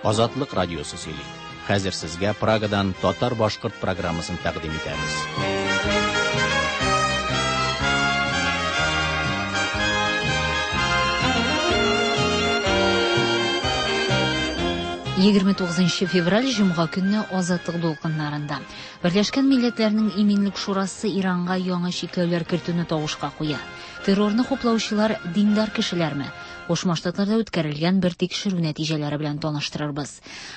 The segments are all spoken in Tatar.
Азатлык радиосы сөйли. Хәзер сезгә Прагадан татар-башкорт программасын тәкъдим итәбез. 29 февраль җомга көнне Азатлык дулкыннарында. Берләшкән Милләтләрнең Иминлек Шурасы Иранга яңа чикләүләр кертүне тавышка куя. Террорны хуплаучылар диндар кешеләрме? Кушма Штатларда үткәрелгән бер тикшерү нәтиҗәләре белән таныштырырбыз.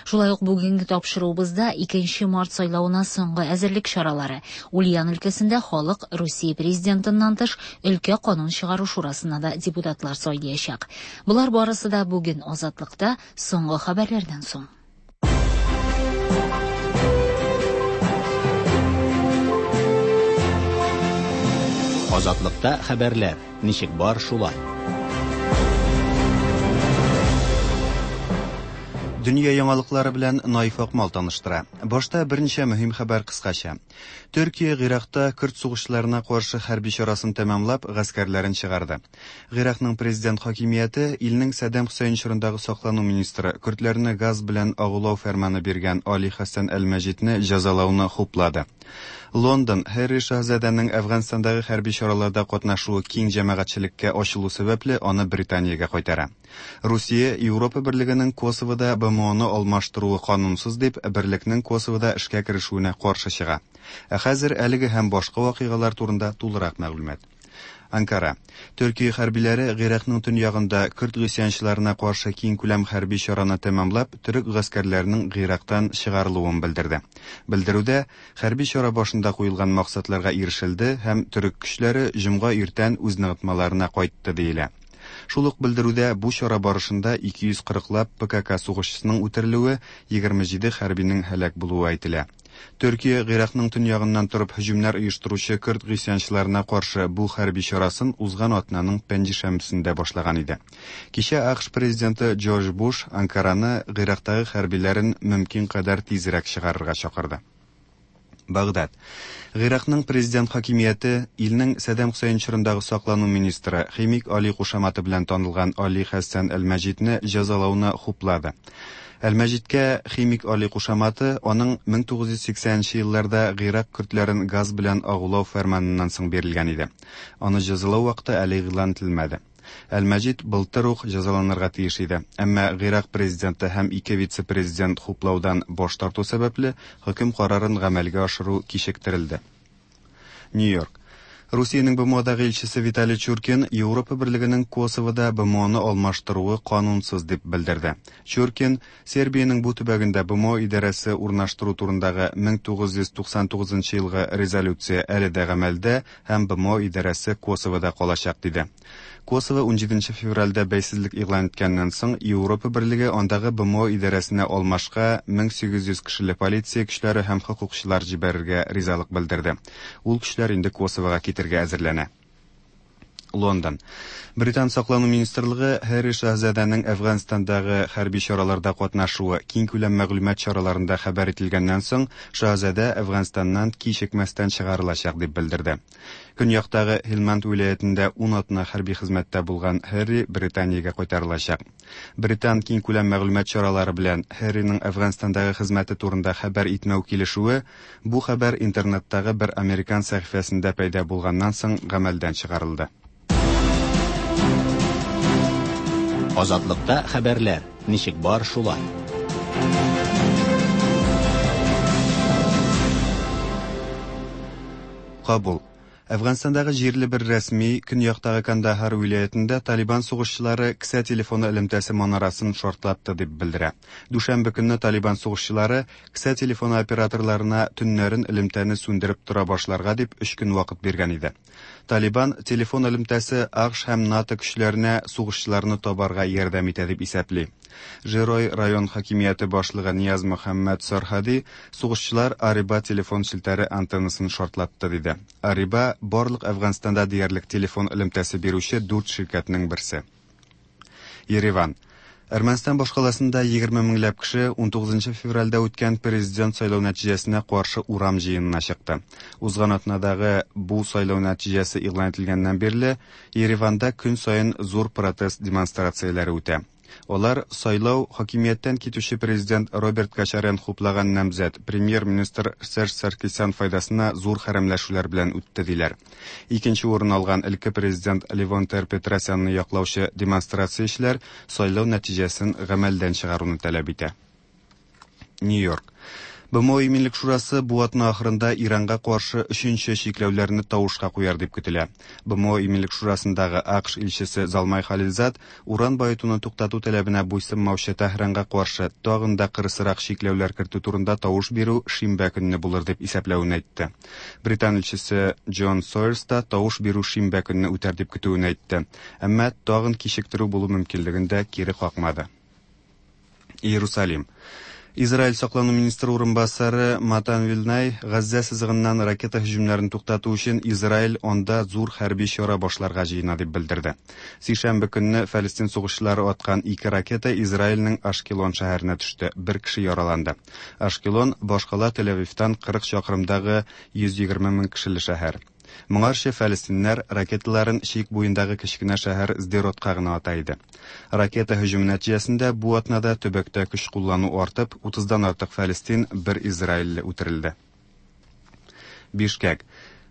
Шулай ук бүгенге тапшыруыбызда 2 март сайлавына соңгы әзерлек чаралары. Ульян өлкәсендә халык Русия президентыннан тыш өлкә канун чыгару шурасына да депутатлар сайлаячак. Болар барысы да бүген Азатлыкта соңгы хәбәрләрдән соң. Азатлыкта хәбәрләр ничек бар шулай. Дөнья яңалыклары белән Наиф Акмал таныштыра. Башта берничә мөһим хәбәр кыскача. Төркия Гыйракта көрд сугышчыларына каршы хәрби чарасын тәмамлап, гаскәрләрен чыгарды. Гыйракның президент хакимияте илнең Сәддам Хөсәен чорындагы саклану министры көрдләрне газ белән агулау фәрманы биргән Али Хәсән әл-Мәҗидне җәзалауны хуплады. Лондон Һәрри шаһзадәнең Әфганстандагы хәрби чараларда катнашуы киң җәмәгатьчелеккә ачылу сәбәпле аны Британиягә кайтара. Русия Европа берлегенең Косовода БМОны алмаштыруы канунсыз дип, берлекнең Косовода эшкә керешүенә каршы чыга. Ә хәзер әлеге һәм башка вакыйгалар турында тулырак мәгълүмат. Анкара. Төркия хәрбиләре Гыйракның төньягында көрд гыйсьянчыларына каршы киңкүләм хәрби чараны тәмамлап, төрек гаскәрләренең Гыйрактан чыгарылуын белдерде. Белдерүдә хәрби чара башында куелган максатларга ирешелде һәм төрек көчләре җомга иртән үз ныгытмаларына кайтты диелә. Шул ук белдерүдә бу чара барышында 240 лап ПКК сугышчысының үтерелүе, 27 хәрбинең һәлак булуы әйтелә. Төркия Гыйракның төньягыннан торып һөҗүмнәр оештыручы көрд гыйсьянчыларына каршы бу хәрби чарасын узган атнаның пәнҗешәмбесендә башлаган иде. Кичә АКШ президенты Джордж Буш Анкараны Гыйрактагы хәрбиләрен мөмкин кадәр тизрәк чыгарырга чакырды. Багдад. Гыйракның президент хакимияте илнең Сәддам Хөсәен чорындагы саклану министры Химик Али кушаматы белән танылган Али Хәсән әл-Мәҗидне җәзалауны хуплады. Әл-Мәҗидкә Химик Али кушаматы аның 1980 елларда Гыйрак көрдләрен газ белән агулау фәрманыннан соң бирелгән иде. Аны җәзалау вакыты әле игълан ителмәде. Әл-Мәҗид былтыр ук җәзаланырга тиеш иде. Әмма Гыйрак президенты һәм ике вице-президент хуплаудан баш тарту сәбәпле, хөкем карарын гамәлгә ашыру кичектерелде. Нью-Йорк. Русиянең БМОдагы илчесе Виталий Чуркин Европа берлегенең Косовода БМОны алмаштыруы канунсыз дип белдерде. Чуркин Сербиянең бу төбәгендә БМО идарәсе урнаштыру турындагы 1999 елгы резолюция әле дә гамәлдә һәм БМО идарәсе Косовода калачак диде. Косово 17 февральдә бәйсезлек игълан иткәннән соң Европа берлеге андагы БМО идарәсенә алмашка 1800 кешеле полиция көчләре һәм хокукчылар җибәрергә ризалык белдерде. Ул көчләр инде Косовога китергә әзерләнә. Лондон. Британ саклану министрлыгы Һәрри шаһзадәнең Әфганстандагы хәрби чараларда катнашуы киңкүләм мәгълүмат чараларында хәбәр ителгәннән соң, шаһзадә Әфганстаннан кичекмәстән чыгарылачак дип белдерде. Көньяктагы Һилманд вилаятендә 10 атна хәрби хезмәттә булган Һәрри Британиягә кайтарылачак. Британ киңкүләм мәгълүмат чаралары белән Һәрриның Әфганстандагы хезмәте турында хәбәр итмәү килешүе бу хәбәр интернеттагы бер американ сәхифәсендә пәйда булганнан соң гамәлдән чыгарылды. Азатлыкта хәбәрләр ничек бар шулай. Кабул. Әфганстандагы җирле бер рәсми көньяктагы Кандахар вилаятендә Талибан сугышчылары кесә телефоны элемтәсе манарасын шартлатты дип белдерә. Дүшәмбе көнне Талибан сугышчылары кесә телефоны операторларына төннәрен элемтәне сүндереп тора башларга дип 3 көн вакыт биргән иде. Талибан телефон элемтәсе АКШ һәм НАТО көчләренә сугышчыларны табарга ярдәм итә дип исәпли. Жирой район хакимияте башлыгы Нияз Мөхәммәд Сархади сугышчылар Ариба телефон челтәре антеннасын шартлатты диде. Ариба барлык Әфганстанда диярлек телефон элемтәсе бирүче дүрт ширкәтнең берсе. Ереван. Әрмәнстан башкаласында 20 меңләп кеше 19 февральдә үткән президент сайлау нәтиҗәсенә каршы урам җыенына чыкты. Узган атнадагы бу сайлау нәтиҗәсе игълан ителгәннән бирле Ереванда көн саен зур протест демонстрацияләре үтә. Алар сайлау хакимияттән китүче президент Роберт Кочарян хуплаган намзәт премьер-министр Серж Саркисян файдасына зур хәрәмләшүләр белән үтте диләр. Икенче урын алган элекке президент Левон Тер-Петросянны яклаучы демонстрациячеләр сайлау нәтиҗәсен гамәлдән чыгаруны таләп итә. Нью-Йорк. БМО Иминлек шурасы бу атна ахырында Иранга каршы өченче чикләүләрне тавышка куяр дип көтелә. БМО Иминлек шурасындагы АКШ илчесе Залмай Халилзад уран баетуны туктату таләбенә буйсынмаучы Тәһранга каршы тагын да кырысрак чикләүләр кертү турында тавыш бирү шимбә көнне булыр дип исәпләвен әйтте. Британ илчесе Джон Сойерс та тавыш бирү шимбә көнне үтәр дип көтүен әйтте. Әмма тагын кичектерү булу мөмкинлеген дә кире какмады. Иерусалим. Израиль саклану министры урынбасары Матан Вилнай Газзә сызыгыннан ракета һөҗүмнәрен туктату өчен Израиль анда зур хәрби чара башларга җыена дип белдерде. Сишәмбе көнне Фәлестин сугышчылары аткан ике ракета Израильнең Ашкелон шәһәренә төште, бер кеше яраланды. Ашкелон башкала Тель-Авивтан 40 чакрымдагы 120 мең кешеле шәһәр. Моңарчы фәлестиннәр ракеталарын чик буендагы кечкенә шәһәр Сдеротка гына ата иде. Ракета һөҗүме нәтиҗәсендә бу атнада төбәктә көч куллану артып, 30-дан артык фәлестин, бер израильле үтерелде. Бишкәк.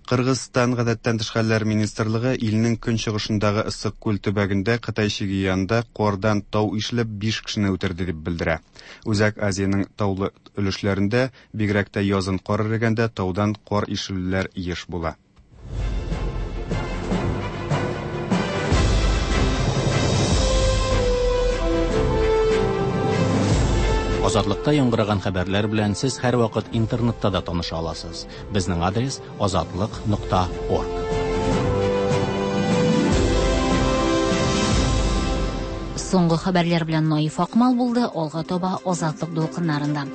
Кыргызстан гадәттән тыш хәлләр министрлыгы илнең көнчыгышындагы Ыссык-Күл төбәгендә Кытай чиге янында кардан тау ишелеп 5 кешене үтерде дип белдерә. Үзәк Азиянең таулы өлешләрендә, бигрәк тә язын кар эрегәндә, таудан кар ишелүләр еш була. Азатлыкта яңгыраган хәбәрләр белән сез һәрвакыт интернетта да таныша аласыз. Безнең адрес азатлык.орг. Соңгы хәбәрләр белән Наиф Акмал булды, алга таба Азатлык дулкыннарында.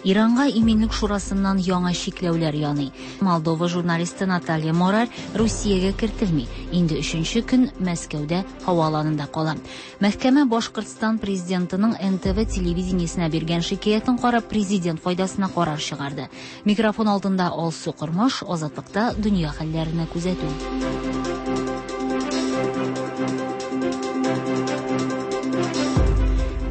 Иранга Иминлек шурасыннан яңа чикләүләр яный. Молдова журналисты Наталья Мораль Русиягә кертелми. Инде өченче көн Мәскәүдә һава аланында кала. Мәхкәмә Башкортстан президентының НТВ телевидениесенә биргән шикаятен карап, президент файдасына карар чыгарды. Микрофон алдында Алсу Кормаш, Азатлыкта дөнья хәлләренә күзәтү.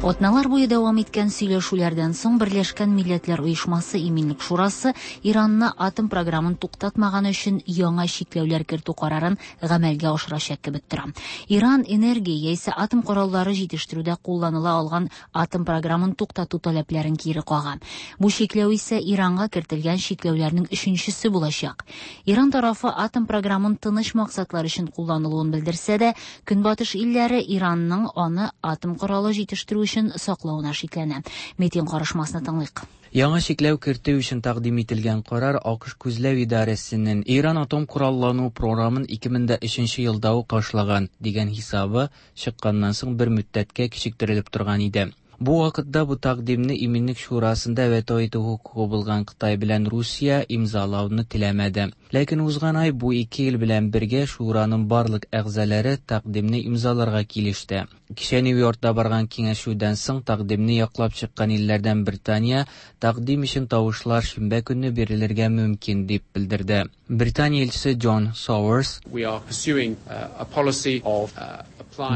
Атналар буе дәвам иткән сөйләшүләрдән соң Берләшкән Милләтләр Оешмасы Иминлек Шурасы Иранны атом програмын туктатмаган өчен яңа чикләүләр кертү карарын гамәлгә ашырачак кебек тора. Иран энергия яисә атом кораллары җитештерүдә кулланыла алган атом програмын туктату таләпләрен кире кага. Бу чикләү исә Иранга кертелгән чикләүләрнең өченчесе булачак. Иран тарафы атом програмын тыныч максатлар өчен кулланылуын белдерсә дә, Көнбатыш илләре Иранның аны атом коралы җитештерү өчен саклавына шикләнә. Метин карышмасны тыңлыйк. Яңа чикләү кертү өчен тәкъдим ителгән карар АКШ күзләү идарәсенең Иран атом кораллану програмын 2003 елда ук ташлаган дигән хисабы чыкканнан соң бер мөддәткә кичектерелеп торган иде. Бу вакытта бу тәкъдимне Иминлек шурасында вето итү хокукы булган Кытай белән Русия имзалауны теләмәде. Ләкин узган ай бу ике ил белән бергә шураның барлык әгъзалары тәкъдимне имзаларга килеште. Кичә Нью-Йоркта барган киңәшүдән соң тәкъдимне яклап чыккан илләрдән Британия тәкъдим өчен тавышлар шимбә көнне бирелергә мөмкин дип белдерде. Британия илчесе Джон Сауэрс: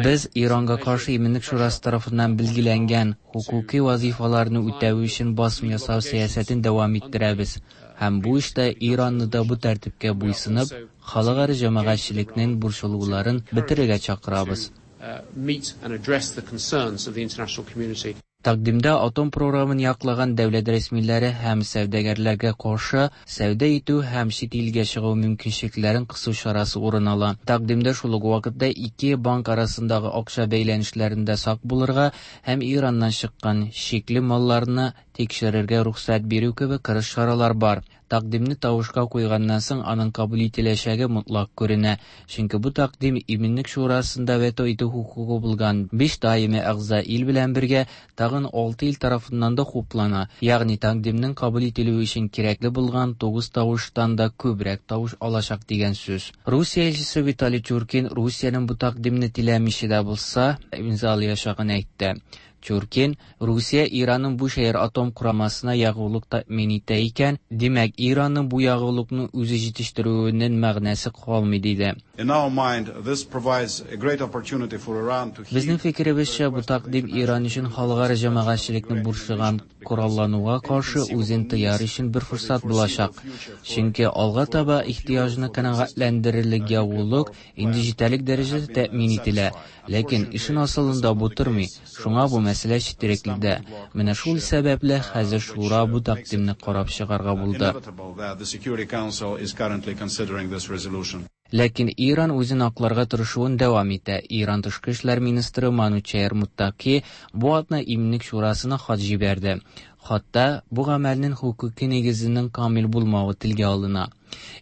Без Иранга каршы Иминлек шурасы тарафыннан билгеләнгән хокукый вазифаларны үтәү өчен басым ясау сәясәтен дәвам иттерәбез һәм бу эштә Иранны да бу тәртипкә буйсынып, халыкара җәмәгатьчелекнең борчылуларын бетерергә чакырабыз. Тәкъдимдә атом програмын яклаган дәүләт рәсмиләре һәм сәүдәгәрләргә каршы сәүдә итү һәм чит илгә чыгу мөмкинчелекләрен кысу чарасы урын ала. Тәкъдимдә шул ук вакытта ике банк арасындагы акча бәйләнешләрендә сак булырга һәм Ираннан чыккан шикле малларны тикшерергә рөхсәт бирү кебек кырыс чаралар бар. Тәкъдимне тавышка куйганнан соң аның кабул ителәчәге мотлак күренә, чөнки бу тәкъдим Иминлек шурасында вето итү хокукы булган 5 даими әгъза ил белән бергә тагын 6 ил тарафыннан да хуплана, ягъни тәкъдимнең кабул ителүе өчен кирәкле булган 9 тавыштан да күбрәк тавыш алачак дигән сүз. Русия илчесе Виталий Чуркин Русиянең бу тәкъдимне теләмичә дә булса имзалаячагын әйтте. Чуркин, Русия Иранның Бушәһер атом курамасына ягулык тәэмин итә икән, димәк, Иранның бу ягулыкны үзе җитештерүенең мәгънәсе калмый, диде. Безнең фикеребезчә, бу тәкъдим Иран өчен халыкара җәмәгатьчелекне борчыган кораллануга каршы үзен тыяр өчен бер форсат булачак. Чөнки алга таба ихтыяҗны канәгатьләндерерлек ягулык инде җитәрлек дәрәҗәдә тәэмин ителә. Ләкин эшнең асылында бу тормый, шуңа бу мәсьәлә четерекле дә. Менә шул сәбәпле хәзер шура бу тәкъдимне карап чыгарга булды. Ләкин Иран үзен акларга тырышуын дәвам итә. Иран тышкы эшләр министры Манучәр Муттаки бу атна Иминлек шурасына хат җибәрде. Хатта бу гамәлнең хокуки нигезенең камил булмавы телгә алына.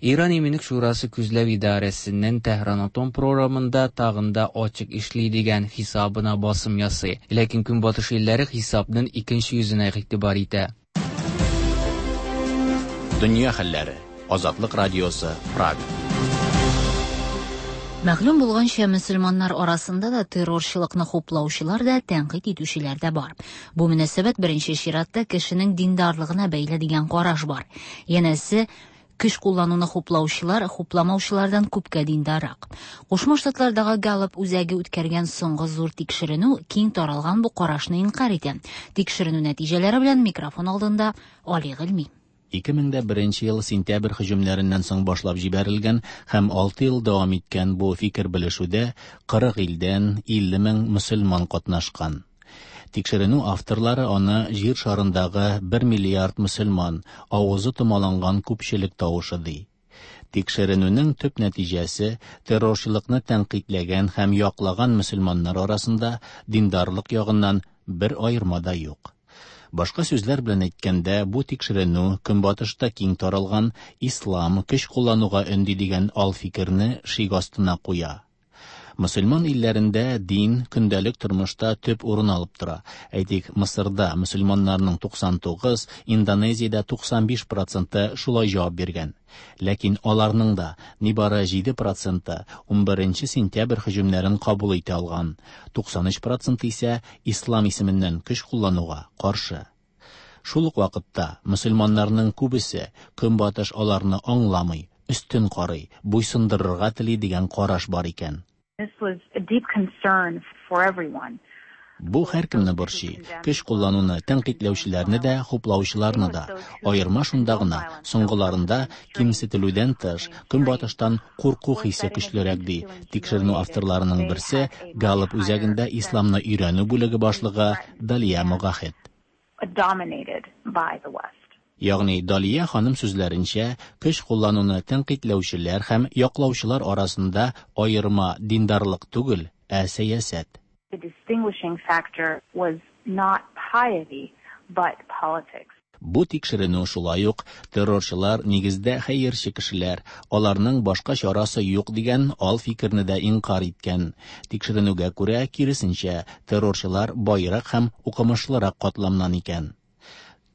Иран Иминлек шурасы күзләү идарәсенең Тәһран атом програмында тагын да ачык эшли дигән хисабына басым ясый. Ләкин Көнбатыш илләре хисапның икенче йөзенә игътибар итә. Дөнья хәлләре. Азатлык радиосы, Прага. Мәгълүм булганча, мөселманнар арасында да террорчылыкны хуплаучылар да, тәнкыйть итүчеләр дә бар. Бу мөнәсәбәт беренче чиратта кешенең диндарлыгына бәйле дигән караш бар. Янәсе, көч куллануны хуплаучылар хупламаучылардан күпкә диндаррак. Кушма Штатлардагы Галлоп үзәге үткәргән соңгы зур тикшеренү киң таралган бу карашны инкарь итә. Тикшеренү нәтиҗәләре белән микрофон алдында Али Гыйльми. 2001 ел сентябрь һөҗүмнәреннән соң башлап җибәрелгән һәм 6 ел дәвам иткән бу фикер белешүдә 40 илдән 50 мең мөселман катнашкан. Тикшеренү авторлары аны җир шарындагы 1 миллиард мөселман, авызы томаланган күпчелек тавышы ди. Тикшеренүнең төп нәтиҗәсе террорчылыкны тәнкыйтьләгән һәм яклаган мөселманнар арасында диндарлык ягыннан бер аерма да юк. Башка сүзләр белән әйткәндә, бу тикшеренү Көнбатышта киң таралган ислам көч куллануга өнди дигән ал фикерне шик астына куя. Мөселман илләрендә дин көндәлек тормышта төп урын алып тора. Әйтик, Мысырда мөселманнарның 99, Индонезиядә 95 проценты шулай җавап биргән. Ләкин аларның да нибары 7 проценты 11 сентябрь һөҗүмнәрен кабул итә алган. 93 проценты исә ислам исеменнән көч куллануга каршы. Шул ук вакытта мөселманнарның күбесе Көнбатыш аларны аңламый, өстен карый, буйсындырырга тели дигән караш бар икән. This was a deep concern for everyone. Бу һәркемне борчый. Көч куллануны тәнкыйтьләүчеләрне дә, хуплаучыларны да. Аерма шунда гына, соңгыларында кимсетелүдән тыш, Көнбатыштан курку хисе көчлерәк ди. Тикшеренү авторларының берсе Галлоп үзәгендә исламны өйрәнү бүлеге башлыгы Далия Могахет. Dominated by the West. Ягъни Далия ханым сүзләренчә, көч куллануны тәнкыйтьләүчеләр һәм яклаучылар арасында аерма диндарлык түгел, ә сәясәт. The distinguishing factor was not piety, but politics. Бу тикшеренү шулай ук террорчылар нигездә хәерче кешеләр, аларның башка чарасы юк дигән ал фикерне дә инкарь иткән. Тикшеренүгә күрә, киресенчә, террорчылар байрак һәм укымышлырак катламнан икән.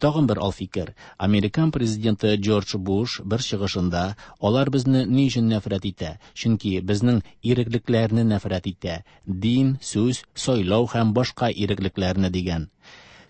Тагын бер ал фикер. Американ президенты Джордж Буш бер чыгышында алар безне ни өчен нәфрәт итә? Чөнки безнең иреклекләрне нәфрәт итә. Дин, сүз, сайлау һәм башка иреклекләрне дигән.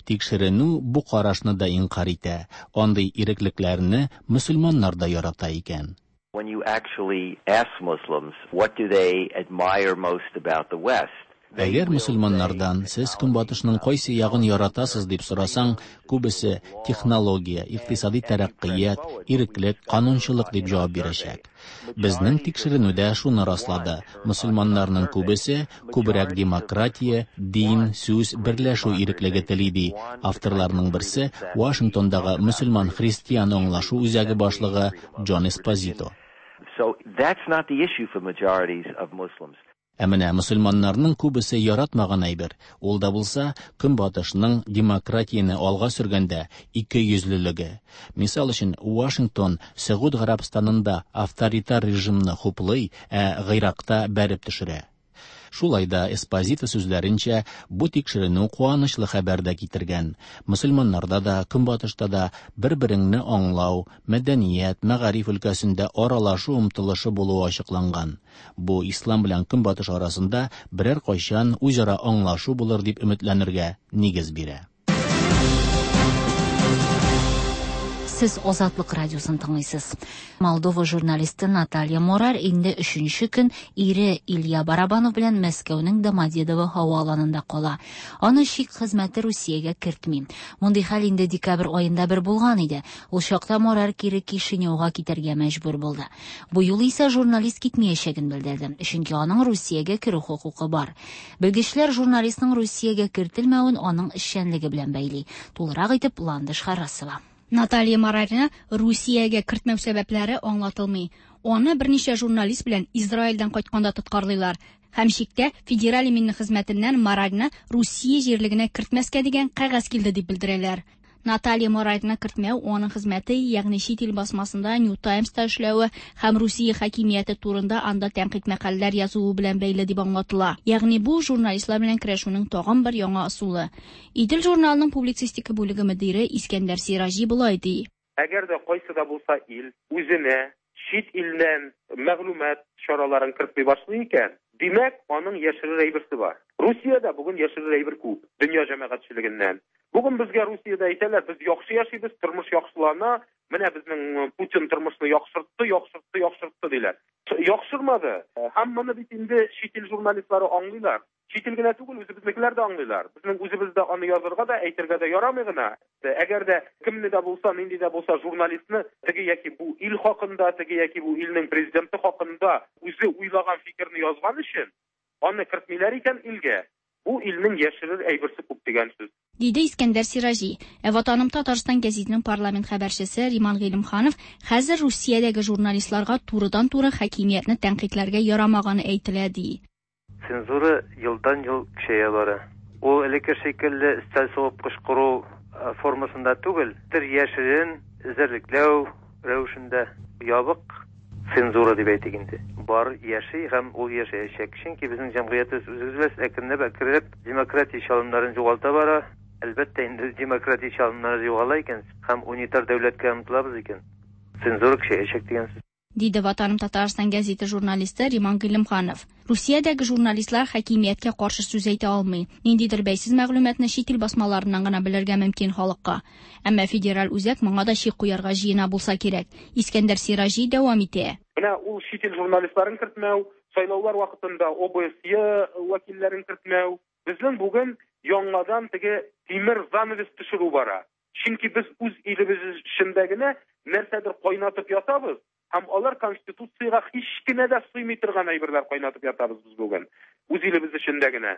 Тикшеренү бу карашны да инкарь итә. Андый иреклекләрне мөселманнар да ярата икән. When you actually ask Muslims what do they admire most about the West, Әгәр мөселманнардан сез Көнбатышның кайсы ягын яратасыз дип сорасаң, күбесе технология, икътисади тәрәккыят, иреклек, канунчылык дип җавап бирәчәк. Безнең тикшеренү дә шуны раслады. Мөселманнарның күбесе күбрәк демократия, дин, сүз, берләшү иреклеге тели ди. Авторларның берсе Вашингтондагы мөселман христиан аңлашу үзәге башлыгы Джон Эспозито. So that's not the issue for majorities of Muslims. Ә менә мөселманнарның күбесе яратмаган әйбер, ул да булса Көнбатышның демократияне алга сөргәндә ике йөзлелеге. Мисал өчен, Вашингтон Сәгуд Гарәбстанында авторитар режимны хуплый, ә Гыйракта бәреп төшерә. Шулай да Эспозито сүзләренчә, бу тикшеренү куанычлы хәбәр дә китергән. Мөселманнарда да, Көнбатышта да бер-береңне аңлау, мәдәният, мәгариф өлкәсендә аралашу омтылышы булуы ачыкланган. Бу ислам белән Көнбатыш арасында берәр кайчан үзара аңлашу булыр дип өметләнергә нигез бирә. Сез Азатлык радиосын тыңлыйсыз. Молдова журналисты Наталья Морарь инде өченче көн ире Илья Барабанов белән Мәскәүнең Домодедово һава аланында кала. Аны чик хезмәте Русиягә кертми. Мондый хәл инде декабрь аенда бер булган иде. Ул чакта Морарь кире Кишиневга китәргә мәҗбүр булды. Бу юлы исә журналист китмәячәген белдерде, чөнки аның Русиягә керү хокукы бар. Белгечләр журналистның Русиягә кертелмәвен аның эшчәнлеге белән бәйли. Тулырак итеп Ландыш Харасова. Наталья Морарьны Русиягә кертмәү сәбәпләре аңлатылмый. Аны берничә журналист белән Израильдән кайтканда тоткарлыйлар. Һәм чиктә Федераль иминлек хезмәтеннән Морарьны Русия җирлегенә кертмәскә дигән кәгазь килде дип белдерәләр. Наталья Морарьны кертмәү аның хезмәте, ягъни чит ил басмасында New Times-та эшләве һәм Русия хакимияте турында анда тәнкыйть мәкаләләр язуы белән бәйле дип аңлатыла. Ягъни бу журналистлар белән көрәшүнең тагын бер яңа ысулы. Идел журналының публицистика бүлеге мөдире Искәндәр Сираҗи болай ди. Әгәр дә кайсы да булса ил үзенә чит илдән мәгълүмат чараларын кертми башлый икән, димәк, аның яшерер әйберсе бар. Русиядә бүген яшерер әйбер күп, дөнья җәмәгатьчелегеннән. Бүген безгә Русиядә әйтәләр, без яхшы яшибез, тормыш яхшылана, менә безнең Путин тормышны яхшыртты, яхшыртты, яхшыртты диләр. Яхшырмады. Һәм моны бит инде чит ил журналистлары аңлыйлар. Чит ил генә түгел, үзебезнекеләр дә аңлыйлар. Безнең үзебездә аны язырга да, әйтергә дә ярамый гына. Әгәр дә кемне дә булса, нинди дә булса журналистны теге яки бу ил хакында, теге яки бу илнең президенты хакында үзе уйлаган фикерне язган өчен аны кертмиләр икән илгә, бу илнең яшерер әйберсе күп дигән сүз. Диде Искәндәр Сираҗи. Ә Ватаным Татарстан гәзитенең парламент хәбәрчесе Риман Гыйлемханов хәзер Русиядәге журналистларга турыдан-туры хакимиятне тәнкыйтьләргә ярамаганы әйтелә ди. Цензура елдан-ел көчәя бара. Ул элекке шикелле өстәл сугып кычкыру формасында түгел, бер яшерен эзәрлекләү рәвешендә ябык цензура дип әйтик инде. Бар яши һәм ул яшәячәк. Чөнки безнең җәмгыятебез үзебез әкренләп әкренләп демократия чалымнарын югалта бара. Әлбәттә инде демократия чалымнары югала икән һәм унитар дәүләткә омтылабыз икән, цензура көчәячәк дигән сүз. Диде Ватаным Татарстан гәзите журналисты Риман Гыйлемханов. Русиядәге журналистлар хакимияткә каршы сүз әйтә алмый. Ниндидер бәйсез мәгълүматны чит ил басмаларыннан гына белергә мөмкин халыкка. Әмма федераль үзәк моңа да чик куярга җыена булса кирәк. Искәндәр Сираҗи дәвам итә. Менә ул чит ил журналистларын кертмәү, сайлаулар вакытында ОБСЕ вәкилләрен кертмәү. Безнең бүген яңадан теге тимер занавес төшерү бара. Чөнки без үз илебез эчендә генә нәрсәдер кайнатып ятабыз. Һәм алар конституциягә һич кенә дә сыймый торган әйберләр кайнатып ятабыз без бүген. Үз илебез эчендә генә.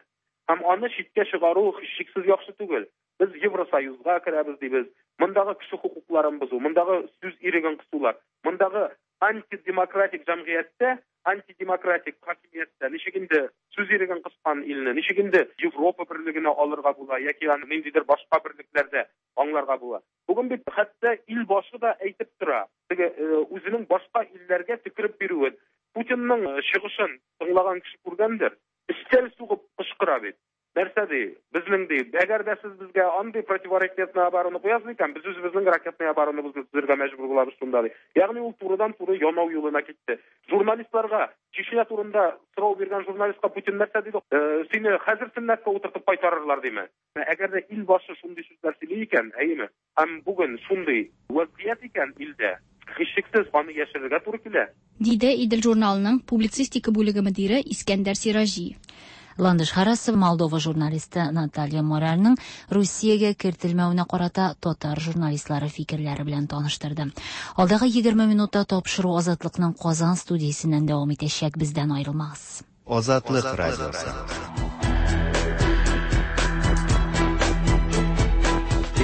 Һәм аны читкә чыгару һичшиксез яхшы түгел. Без Евросоюзга керәбез дибез. Мондагы кеше хокукларын бозу, мондагы сүз иреген кысулар, мондагы антидемократик җәмгыятьтә, антидемократик хакимияттә ничек инде сүз иреген кыскан илне, ничек инде Европа берлегенә алырга була яки аны ниндидер башка берлекләрдә аңларга була. Бүген бит хәтта ил башы да әйтеп тора, теге үзенең башка илләргә төкереп бирүен. Путинның чыгышын тыңлаган кеше күргәндер, өстәл сугып кычкыра бит. Нәрсә ди? Безнең ди, әгәр дә сез безгә андый противоракетный оборона куясыз икән, без үзебезнең ракетный оборонабызны төзергә мәҗбүр булабыз шунда ди. Ягъни ул турыдан-туры янау юлына китте. Журналистларга Чечня турында сорау биргән журналистка Путин нәрсә диде? Сине хәзер сөннәткә утыртып кайтарырлар диме? Әгәр дә ил башы шундый сүзләр сөйли икән, әйеме? Һәм бүген шундый вазгыять икән илдә, һичшиксез аны яшерергә туры килә. Диде Идел журналының публицистика бүлеге мөдире Искәндәр Сираҗи. Ландыш Харасова Молдова журналисты Наталья Морарьның Русиягә кертелмәвенә карата татар журналистлары фикерләре белән таныштырды. Алдагы 20 минутта тапшыру Азатлыкның Казан студиясеннән дәвам итәчәк, бездән аерылмагыз. Азатлык радиосы.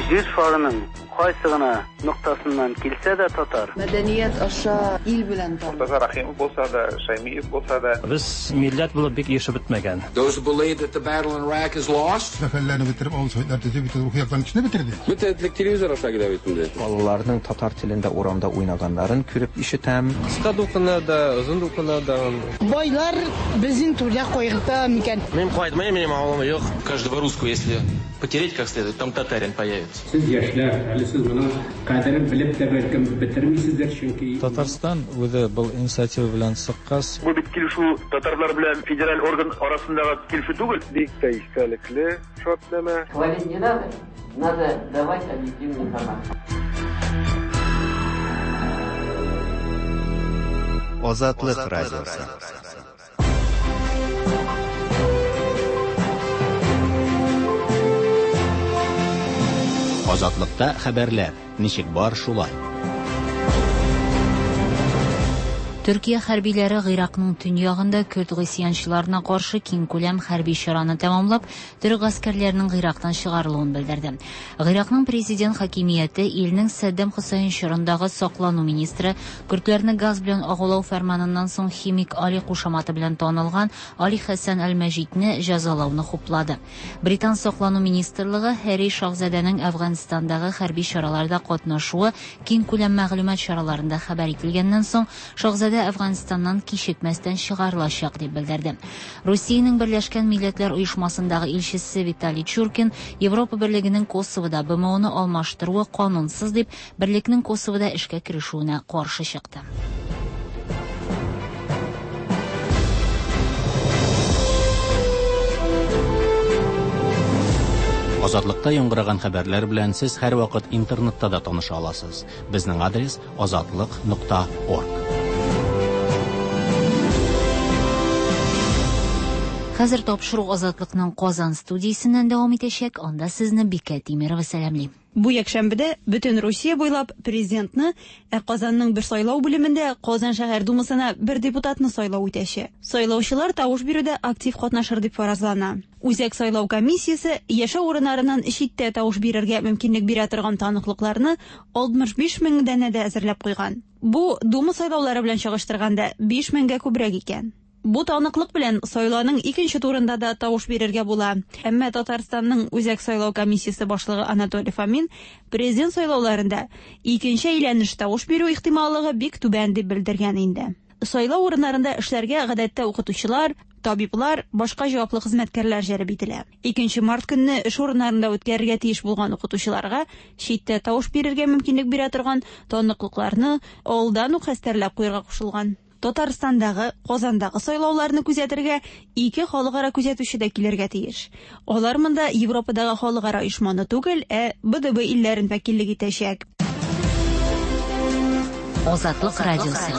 Җир шарының кайсы гына ноктасыннан килсә дә татар. Мәдәният аша ил белән таныш. Мортаза Рәхимов булса да, Шәймиев булса да. Без милләт булып бик ирешеп бетмәгән. Those who believe that the battle in Iraq is lost. Сәфәрләрне бетереп, авыл советлар төзеп, бөтен рухи яктан кешене бетерде. Бөтен телевизор аша килә бит инде. Балаларның татар телендә урамда уйнаганнарын күреп ишетәм. Кыска дулкыннарда, озын дулкыннарда. Байлар безнең түрдә кайгырта микән? Мин кайтмыйм, минем авылым юк. Каждого русского, если потереть как следует, там татарин появится. Сез яшьләр, әле сез моның кадерен белеп тә бәлкем бетермисездер, чөнки Татарстан үзе был инициатива белән чыккач, бу бит килешү татарлар белән федераль орган арасындагы килешү түгел. Бик тә истәлекле шартнамә. Хвалить не надо, надо давать объективную информацию. Азатлык радиосы. Азатлыкта хәбәрләр ничек бар шулай. Төркия хәрбиләре Гыйракның төньягында көрд гыйсьянчыларына каршы киңкүләм хәрби чараны тәмамлап, төрек гаскәрләренең Гыйрактан чыгарылуын белдерде. Гыйракның президент хакимияте илнең Саддам Хөсәен чорындагы саклану министры көрдләрне газ белән агулау фәрманыннан соң химик Али кушаматы белән танылган Али Хәсән Әл-Мәҗидне җәзалауны хуплады. Британ саклану министрлыгы Һәрри шаһзадәнең Әфганстандагы хәрби чараларда катнашуы киңкүләм мәгълүмат чараларында хәбәр ителгәннән соң шаһзадә Әфганстаннан кичекмәстән чыгарылачак дип белдерде. Русиянең Берләшкән Милләтләр Оешмасындагы илчесе Виталий Чуркин Европа Берлегенең Косовода БМОны алмаштыруы канунсыз дип, берлекнең Косовода эшкә керешүенә каршы чыкты. Азатлыкта яңгыраган хәбәрләр белән сез һәрвакыт интернетта да таныша аласыз. Безнең адрес azatliq.org. Хәзер тапшыру Азатлыкның Казан студиясеннән дәвам итәчәк. Анда сезне Бикә Тимирова сәламли. Бу якшәмбедә бөтен Русия буйлап президентны, ә Казанның бер сайлау бүлемендә Казан шәһәр думасына бер депутатны сайлау үтәчәк. Сайлаучылар тавыш бирүдә актив катнашыр дип фаразлана. Үзәк сайлау комиссиясе яшәү урыннарыннан читтә тавыш бирергә мөмкинлек бирә торган таныклыкларны 65 мең данәдә әзерләп куйган. Бу Дума сайлаулары белән чагыштырганда 5 меңгә күбрәк икән. Бу таныклык белән сайлауның икенче турында да тавыш бирергә була. Әмма Татарстанның Үзәк сайлау комиссиясе башлыгы Анатолий Фомин президент сайлауларында икенче әйләнеш тавыш бирү ихтималлыгы бик түбән дип белдергән инде. Сайлау урыннарында эшләргә гадәттә укытучылар, табиблар, башка җаваплы хезмәткәрләр җәлеп ителә. 2 март көнне эш урыннарында үткәрергә тиеш булган укытучыларга читтә тавыш бирергә мөмкинлек бирә торган таныклыкларны алдан ук хәстәрләп куярга кушылган. Татарстандагы, Казандагы сайлауларны күзәтергә ике халыкара күзәтүче дә килергә тиеш. Алар монда Европадагы халыкара оешманы түгел, ә БДБ илләрен вәкиллек итәчәк. Азатлык радиосы.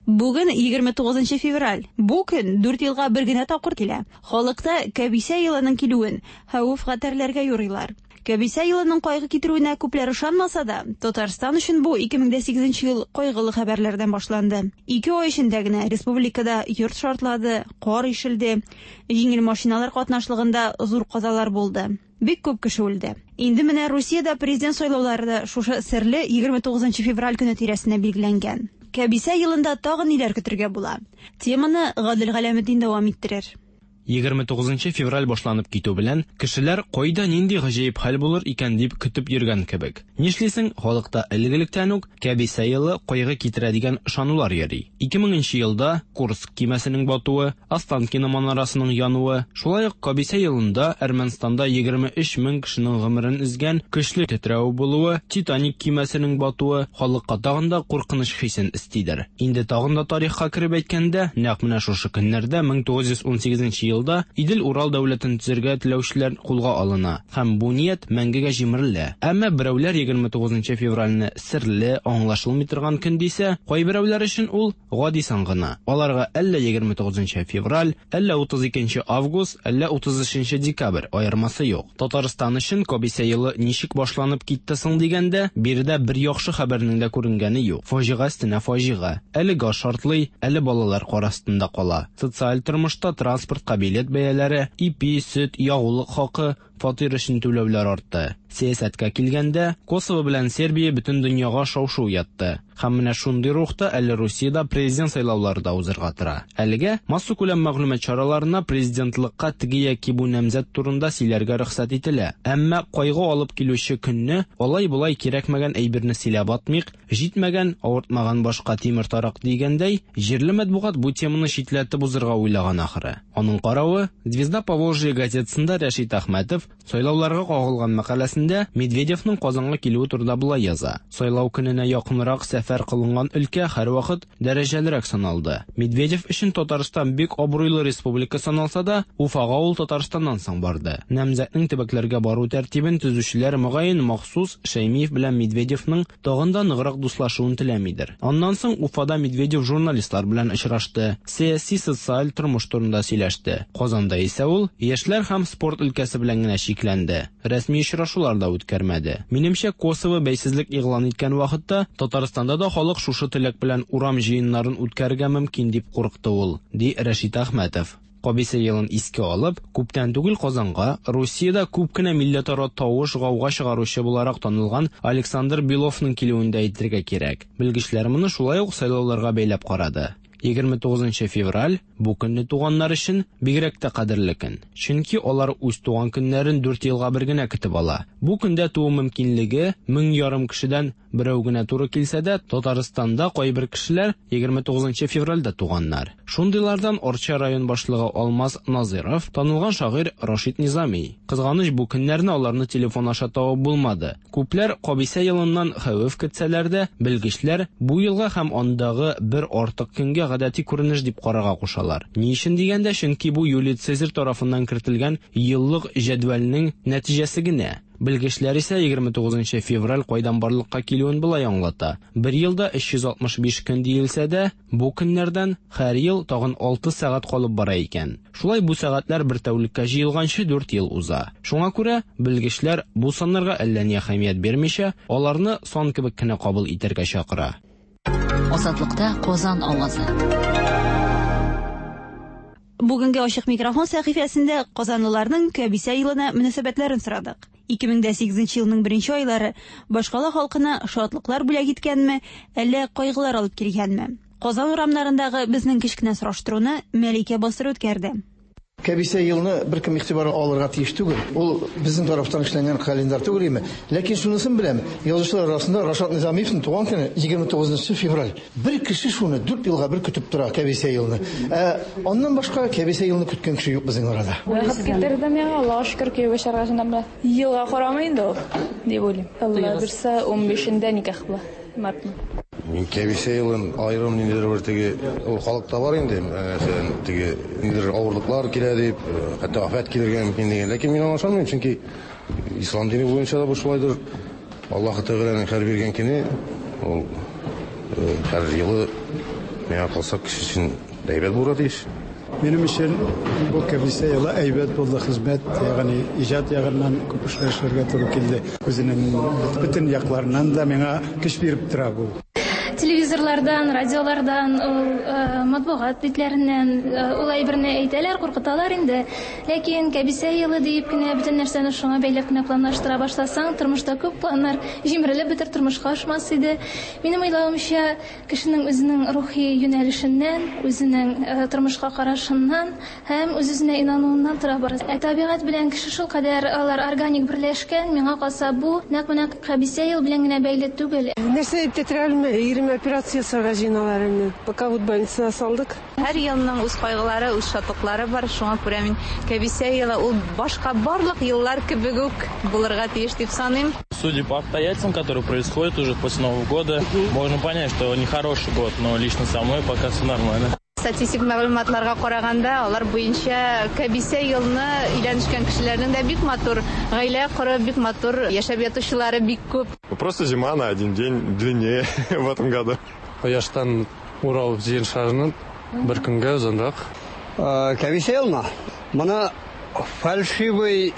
Бүген 29 февраль. Бу көн 4 елга бер генә тапкыр килә. Халыкта кәбисә елының килүен хәвеф-хәтәрләргә юрыйлар. Кәбисә елының кайгы китерүенә күпләр ышанмаса да, Татарстан өчен бу 2008 ел кайгылы хәбәрләрдән башланды. 2 ай эчендә генә республикада йорт шартлады, кар ишелде, җиңел машиналар катнашлыгында зур казалар булды. Бик күп кеше үлде. Инде менә Русиядә президент сайлаулары да шушы серле 29 февраль көне тирәсенә билгеләнгән. Кәбисә елында тагын ниләр көтергә була? Теманы Гадел Галәметдин дәвам иттерер. 29 февраль башланып китү белән кешеләр кайда нинди гаҗәеп хәл булыр икән дип көтеп йөргән кебек. Нишлисең, халыкта элек-электән үк кәбисә елы кайгы китерә дигән ышанулар йөри. 2000 елда Курск кимәсенең батуы, Останкино манарасының януы, шулай ук кәбисә елында Әрмәнстанда 23 мең кешенең гомерен өзгән көчле тетрәү булуы, Титаник кимәсенең батуы халыкка тагын да куркыныч хисен өстидер. Инде тагын да тарихка кереп әйткәндә, нәкъ менә шушы көннәрдә 1918 елда Идел-Урал дәүләтен төзергә теләүчеләр кулга алына һәм бу ният мәңгегә җимерелә. Әмма берәүләр 29 февральне серле, аңлашылмый торган көн дисә, кайберәүләр өчен ул гади сан гына. Аларга әллә 29 февраль, әллә 32 август, әллә 33 декабрь аермасы юк. Татарстан өчен кәбисә елы ничек башланып китте соң дигәндә, биредә бер яхшы хәбәрнең дә күренгәне юк. Фаҗига өстенә фаҗига. Әле газ шартлый, әле балалар кар астында кала. Социаль тормышта транспортка билет бәяләре, ипи, сөт, ягулык хакы, Фатир өчен түләүләр артты. Сәясәткә килгәндә, Косово белән Сербия бөтен дөньяга шау-шу уятты. Һәм менә шундый рухта әле Русиядә президент сайлаулары да узырга тора. Әлегә массакүләм мәгълүмат чараларына президентлыкка теге яки бу намзәт турында сөйләргә рөхсәт ителә. Әмма кайгы алып килүче көнне алай-болай кирәкмәгән әйберне сөйләп атмыйк, җитмәгән, авыртмаган башка тимер тарак дигәндәй, җирле матбугат бу теманы читләтеп узырга уйлаган ахры. Аның каравы, Звезда Поволжья газетасында Рәшит Әхмәтов сайлауларга кагылган мәкаләсендә Медведевның Казанга килүе турында болай яза: Сайлау көненә якынрак сәфәр кылынган өлкә һәрвакыт дәрәҗәлерәк саналды. Медведев өчен Татарстан бик абруйлы республика саналса да, Уфага ул Татарстаннан соң барды. Намзәтнең төбәкләргә бару тәртибен төзүчеләр мөгаен махсус Шәймиев белән Медведевның тагын да ныграк дуслашуын теләмидер. Аннан соң Уфада Медведев журналистлар белән очрашты, сәяси, социаль тормыш турында сөйләште. Казанда исә ул яшьләр һәм спорт өлкәсе белән генә чикләнде, рәсми очрашулар да үткәрмәде. Минемчә, Косово бәйсезлек игълан иткән вакытта Татарстанда да халык шушы теләк белән урам җыеннарын үткәрергә мөмкин дип курыкты ул, ди Рәшит Әхмәтов. Кабисә елын искә алып, күптән түгел Казанга Русиядә күп кенә милләтара тавыш-гауга чыгаручы буларак танылган Александр Беловның килүен дә әйтергә кирәк. Белгечләр моны шулай ук сайлауларга бәйләп карады. 29 февраль бу көнне туганнар өчен бигрәк тә кадерле көн. Чөнки алар үз туган көннәрен 4 елга бер генә көтеп ала. Бу көндә туу мөмкинлеге 1500 кешедән берәү генә туры килсә дә, Татарстанда кайбер кешеләр 29 февральдә туганнар. Шундыйлардан Арча район башлыгы Алмаз Назиров, танылган шагыйрь Рашид Низами. Кызганыч, бу көннәрне аларны телефон аша табып булмады. Күпләр кабисә елыннан хәвеф көтсәләр дә, белгечләр бу елга һәм андагы бер артык көнгә гадәти күренеш дип карарга кушалар. Ни өчен дигәндә, чөнки бу Юлий Цезарь тарафыннан кертелгән еллык җәдвәлнең нәтиҗәсе генә. Белгечләр исә 29 февраль кайдан барлыкка килүен болай аңлата. Бер елда 365 көн диелсә дә, бу көннәрдән һәр ел тагын 6 сәгать калып бара икән. Шулай бу сәгатьләр бер тәүлеккә җыелганчы 4 ел уза. Шуңа күрә белгечләр бу саннарга әллә ни әһәмият бирмичә, аларны сан кебек кенә кабул итәргә чакыра. Азатлыкта Казан авазы. Бүгенге ачык микрофон сәхифәсендә казанлыларның кәбисә елына мөнәсәбәтләрен сорадык. 2008 елның беренче айлары башкала халкына шатлыклар бүләк иткәнме, әллә кайгылар алып килгәнме? Казан урамнарындагы безнең кечкенә сораштыруны Мәликә Басыр үткәрде. Кәбисә елны беркем игътибарга алырга тиеш түгел. Ул безнең тарафтан эшләнгән календарь түгел име. Ләкин шунысын беләм, язучылар арасында Рашат Низамиевның туган көне 29 февраль. Бер кеше шуны 4 елга бер көтеп тора кәбисә елны. Аннан башка кәбисә елны көткән кеше юк безнең арада. Вакыт китерде миңа, Аллаһка шөкер, кияүгә чыгарга җыенам белән. Елга карамый инде ул, дип уйлыйм. Алла бирсә, 15-ндә никах була, мартның. Мин кәбисә елын аерым ниндидер бер теге ул халыкта бар инде, мәсәлән, теге ниндидер авырлыклар килә дип, хәтта афәт килергә мөмкин дигән. Ләкин мин аңа ышанмыйм, чөнки ислам дине буенча да бу шулайдыр. Аллаһ Тәгаләнең һәр биргән көне ул һәр елы миңа калса кеше өчен әйбәт булырга тиеш. Минем өчен бу кәбисә елы әйбәт булды, хезмәт, ягъни иҗат ягыннан күп эшләр эшләргә туры килде. Үзенең бөтен якларыннан да миңа көч биреп тора бу. Телевизорлардан, радиолардан, ул матбугат битләреннән ул әйберне әйтәләр, куркыталар инде. Ләкин кәбисә елы диеп кенә бөтен нәрсәне шуңа бәйләп кенә планлаштыра башласаң, тормышта күп планнар җимерелеп бетер, тормышка ашмас иде. Минем уйлавымча, кешенең үзенең рухи юнәлешеннән, үзенең тормышка карашыннан һәм үз-үзенә инануыннан тора бара. Табигать белән кеше шул кадәр алар органик берләшкән, миңа калса бу нәкъ менә кәбисә ел белән генә бәйле түгел. Нәрсә дип тә алмый, ирем операция ясарга җыеналар инде. Пока вот больницага салдык. Һәр елның үз кайгылары, үз шатлыклары бар. Шуңа күрә мин кәбисә елы ул башка барлык еллар кебек үк булырга тиеш дип саныйм. Судя по обстоятельствам, которые происходят уже после Нового года, можно понять, что нехороший год, но лично со мной пока все нормально. Статистик мәгълүматларга караганда, алар буенча кәбисә елны өйләнешкән кешеләрнең дә бик матур гаилә корып, бик матур яшәп ятучылары бик күп. Просто зима на один день длиннее в этом году. Кояштан Урал җир шарының бер көнгә озынрак. Кәбисә елны моны фальшивый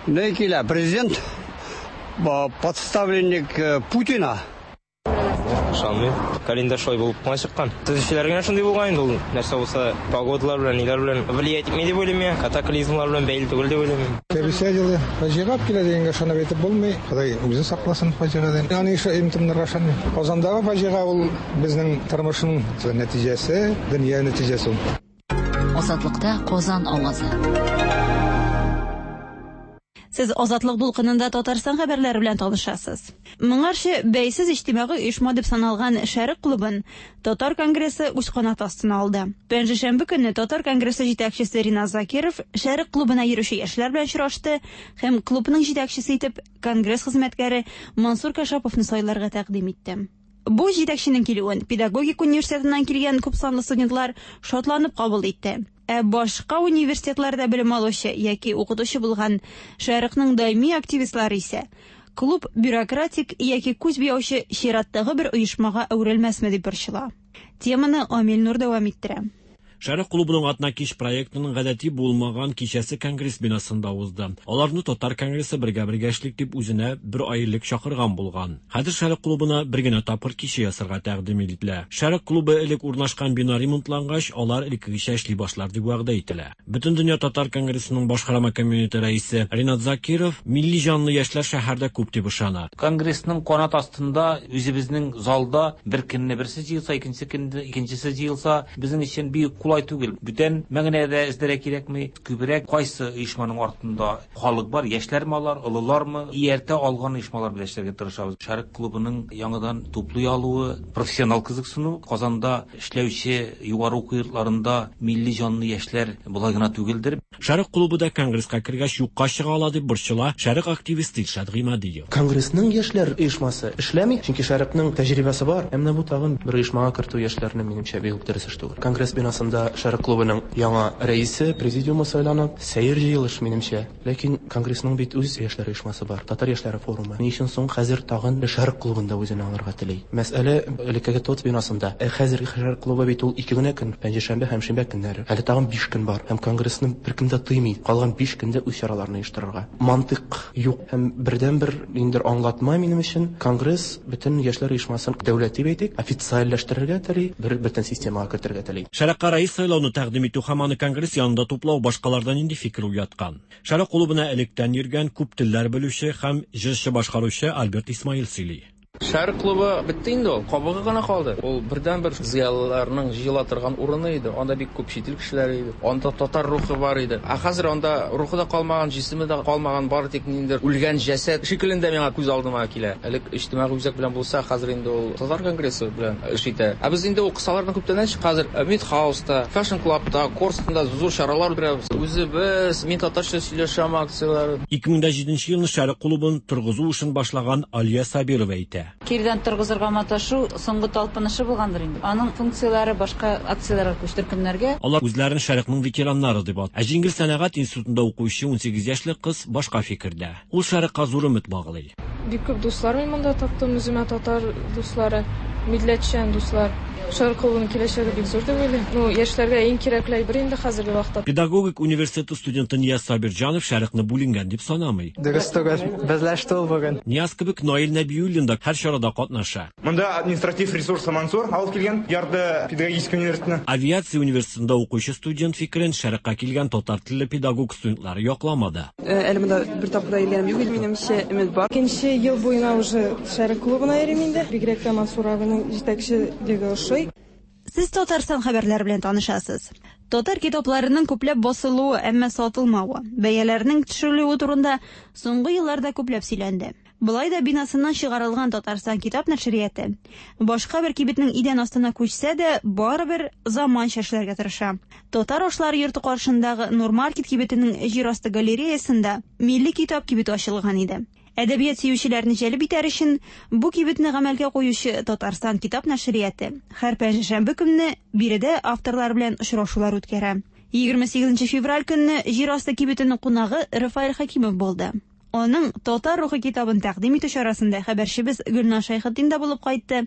не килә, президент, подставленник Путина. Ышанмыйм. Календарь шулай булып кына чыккан. Төзүчеләр генә шундый булган инде ул. Нәрсә булса, погодалар белән, ниләр белән влиять итми дип уйлыйм мин. Катаклизмлар белән бәйле түгел дип уйлыйм мин. Кәбисә елы фаҗига алып килә дигәнгә ышанып әйтеп булмый. Ходай үзе сакласын фаҗигадән. Аны имтымнарга ышанмыйм. Казандагы фаҗига ул безнең тормышның нәтиҗәсе, дөнья нәтиҗәсе ул. Азатлыкта Казан авазы. Сез Азатлык дулкынында Татарстан хәбәрләре белән танышасыз. Моңарчы бәйсез иҗтимагый оешма дип саналган Шәрык клубын Татар конгрессы үз канаты астына алды. Пәнҗешәмбе көнне Татар конгрессы җитәкчесе Ринат Закиров Шәрык клубына йөрүче яшьләр белән очрашты һәм клубның җитәкчесе итеп конгресс хезмәткәре Мансур Кашаповны сайларга тәкъдим итте. Бу җитәкченең килүен педагогик университетыннан килгән күпсанлы студентлар шатланып кабул итте. Ә башка университетларда белем алучы яки укытучы булган Шәрыкның даими активистлары исә клуб бюрократик яки күз буяучы чираттагы бер оешмага әверелмәсме дип борчыла. Теманы Амил Нур дәвам иттерә. Шәрык клубының Атнакич проектының гадәти булмаган кичәсе Конгресс бинасында узды. Аларны Татар конгрессы бергә-бергә эшлик дип үзенә бер ай элек чакырган булган. Хәзер Шәрык клубына бер генә тапкыр кичә ясарга тәкъдим ителә. Шәрык клубы элек урнашкан бина ремонтлангач, алар элеккегечә эшли башлар дип вәгъдә ителә. Бөтендөнья татар конгрессының башкарма комитеты рәисе Ринат Закиров милли җанлы яшьләр шәһәрдә күп дип ышана. Конгрессның канат астында үзебезнең залда бер көнне берсе җыелса, икенче көнне икенчесе җыелса, безнең өчен бик кулай түгел. Бүтән мәгънә дә эзләргә кирәкми. Күбрәк кайсы оешманың артында халык бар, яшьләрме алар, олылармы, ияртә алган оешмалар белән эшләргә тырышабыз. Шәрык клубының яңадан туплый алуы, профессионал кызыксыну, Казанда эшләүче югары уку йортларында милли җанлы яшьләр болай гына түгелдер. Шәрык клубы да конгресска кергәч юкка чыга ала дип борчыла Шәрык активисты Илшат Гыймадиев. Конгрессның яшьләр оешмасы эшләми, чөнки Шәрыкның тәҗрибәсе бар. Ә менә бу тагын бер оешмага кертү яшьләрне, минемчә, бик үк дөрес эш түгел. Конгресс бинасында Шәрык клубының яңа рәисе, президиумы сайлана. Сәер җыелыш, минемчә. Ләкин Конгрессның бит үз яшьләр оешмасы бар, Татар яшьләре форумы. Ни өчен соң хәзер тагын Шәрык клубын да үзенә алырга тели? Мәсьәлә элеккеге ТОЦ бинасында. Ә хәзерге Шәрык клубы бит ул ике генә көн, пәнҗешәмбе һәм шимбә көннәре. Әле тагын биш көн бар. Һәм Конгрессны беркем дә тыймый калган биш көндә үз чараларын оештырырга. Мантыйк юк. Һәм бердәнбер ниндидер аңлатма минем өчен, Конгресс бөтен яшьләр оешмасын дәүләт дип әйтик, официальләштерергә тели, бер бөтен системага кертергә тели. Шәрыкка рәис сайлауны тәкъдим итү һәм аны Конгресс янында туплау башкаларда нинди фикер уяткан? Шәрык клубына электән йөргән, күп телләр белүче һәм җырчы-башкаручы Альберт Исмаил сөйли. Шәрык клубы бетте инде ул, кабыгы гына калды. Ул бердәнбер зыялыларның җыела торган урыны иде. Анда бик күп чит ил кешеләре иде. Анда татар рухы бар иде. Ә хәзер анда рухы да калмаган, җисеме дә калмаган, бары тик ниндидер үлгән җәсәд шикеллендә миңа күз алдыма килә. Элек иҗтимагый үзәк белән булса, хәзер инде ул татар конгрессы белән эш итә. Ә без инде ул кысалардан күптәннән чык, хәзер Мидхауста, Fashion Clubта, Корстонда зур чаралар үткәрәбез. Үзебез, мин татарча сөйләшәм акцияләре. 2007 елны Шәрык клубын торгызу эшен башлаган Алия Сабирова әйтә. Кирдән торгызырга маташу соңгы талпынышы булгандыр инде. Аның функцияләре башка акцияләргә күчте, төркемнәргә. Алар үзләрен Шәрыкның ветераннары дип атый. Ә Җиңел сәнәгать институтында укучы 18 яшьлек кыз башка фикердә. Ул Шәрыкка зур өмет баглый. Бик күп дуслар мин монда таптым үземә, татар дуслары, милләтчән дуслар. Шәрык клубының киләчәге бик зур дип уйлыйм. Ну, яшьләргә иң кирәкле әйбер инде хәзерге вакытта. Педагогик университеты студенты Нияз Сабирҗанов Шәрыкны бүленгән дип санамый. Дөрес түгел, безләште ул бүген. Нияз кебек Наил Нәбиуллин да һәр чарада катнаша. Монда административ ресурсы Мансур алып килгән, ярды педагогический университетны. Авиация университетында укучы студент фикерен Шәрыкка килгән татар телле педагог студентлары якламады. Әле монда бер тапкыр да йөргәнем юк, минемчә өмет бар. Икенче ел буена уже Шәрык клубына йөрим инде. Бигрәк тә Мансур абының җитәкчелеге ошый. Сез Татарстан хәбәрләре белән танышасыз. Татар китапларының күпләп басылуы, әмма сатылмавы, бәяләрнең төшерелүе турында соңгы елларда күпләп сөйләнде. Болай да бинасыннан чыгарылган Татарстан китап нәшрияты башка бер кибетнең идән астына күчсә дә, барыбер заманча эшләргә тырыша. Татар ашлары йорты каршындагы Нурмаркет кибетенең җир асты галереясында милли китап кибете ачылган иде. Әдәбият сөючеләрне җәлеп итәр өчен бу кибетне гамәлгә куючы Татарстан китап нәшрияты һәр пәнҗешәмбе көнне биредә авторлар белән очрашулар үткәрә. 28 февраль көнне җир асты кибетенең кунагы Рафаэль Хәкимов булды. Аның Татар рухы китабын тәкъдим итү чарасында хәбәрчебез Гөлназ Шәйхетдин дә булып кайтты.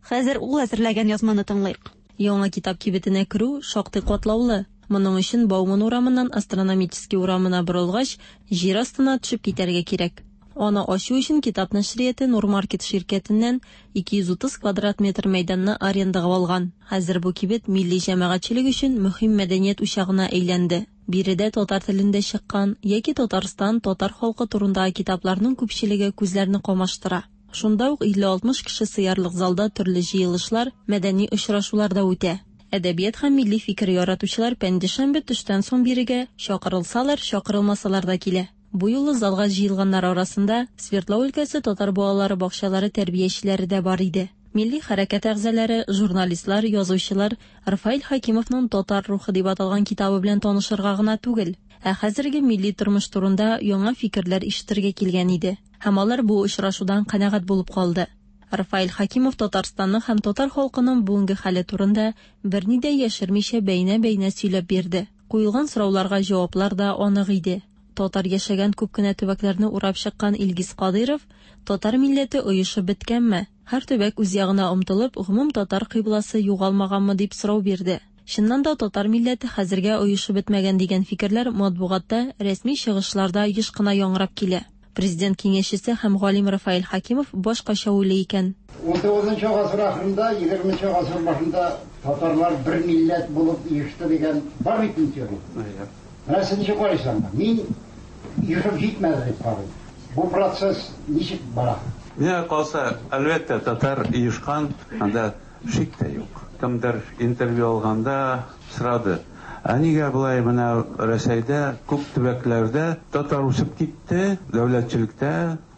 Хәзер ул әзерләгән язманы тыңлыйк. Яңа китап кибетенә керү шактый катлаулы. Моның өчен Бауман урамыннан Астрономический урамына борылгач, җир астына төшеп китәргә кирәк. Аны ачу өчен Китап нәшрияте Нурмаркет ширкәтеннән 230 квадрат метр мәйданны арендага алган. Хәзер бу кибет милли җәмәгатьчелек өчен мөһим мәдәният учагына әйләнде. Биредә татар телендә чыккан яки Татарстан, татар халкы турындагы китапларның күпчелеге күзләрне камаштыра. Шунда ук 50-60 кеше сыярлык залда төрле җыелышлар, мәдәни очрашулар да үтә. Әдәбият һәм милли фикер яратучылар пәнҗешәмбе төштән соң бирегә, чакырылсалар, чакырылмасалар да килә. Бу юлы залга җыелганнар арасында Свердлау өлкәсе татар балалары бакчалары тәрбиячеләре дә бар иде. Милли хәрәкәт әгъзалары, журналистлар, язучылар Рафаэль Хәкимовның Татар рухы дип аталган китабы белән танышырга гына түгел, ә хәзерге милли тормыш турында яңа фикерләр ишетергә килгән иде. Һәм алар бу очрашудан канәгать булып калды. Рафаэль Хәкимов Татарстанның һәм татар халкының бүгенге хәле турында берни дә яшермичә бәйнә-бәйнә сөйләп бирде. Куелган сорауларга җаваплар да анык иде. Татар яшәгән күп кенә төбәкләрне урап чыккан Илгиз Кадыйров, Татар милләте оешып беткәнме? Һәр төбәк үз ягына омтылып, гомум татар кыйбласы югалмаганмы, дип сорау бирде. Чыннан да татар милләте хәзергә оешып бетмәгән дигән фикерләр матбугатта, рәсми чыгышларда еш кына яңгырап килә. Президент киңәшчесе һәм галим Рафаэль Хәкимов башкача уйлый икән. Унтугызынчы гасыр ахырында, егерменче гасыр башында татарлар бер милләт булып оешты дигән бар бит инде теория. Менә сез ничек карыйсыз аңа? Мин оешып җитмәде дип карыйм. Бу процесс ничек бара? Миңа калса, әлбәттә, татар оешкан, анда шик тә юк. Кемдер интервью алганда сорады, ә нигә болай менә Рәсәйдә күп төбәкләрдә татар үсеп китте, дәүләтчелектә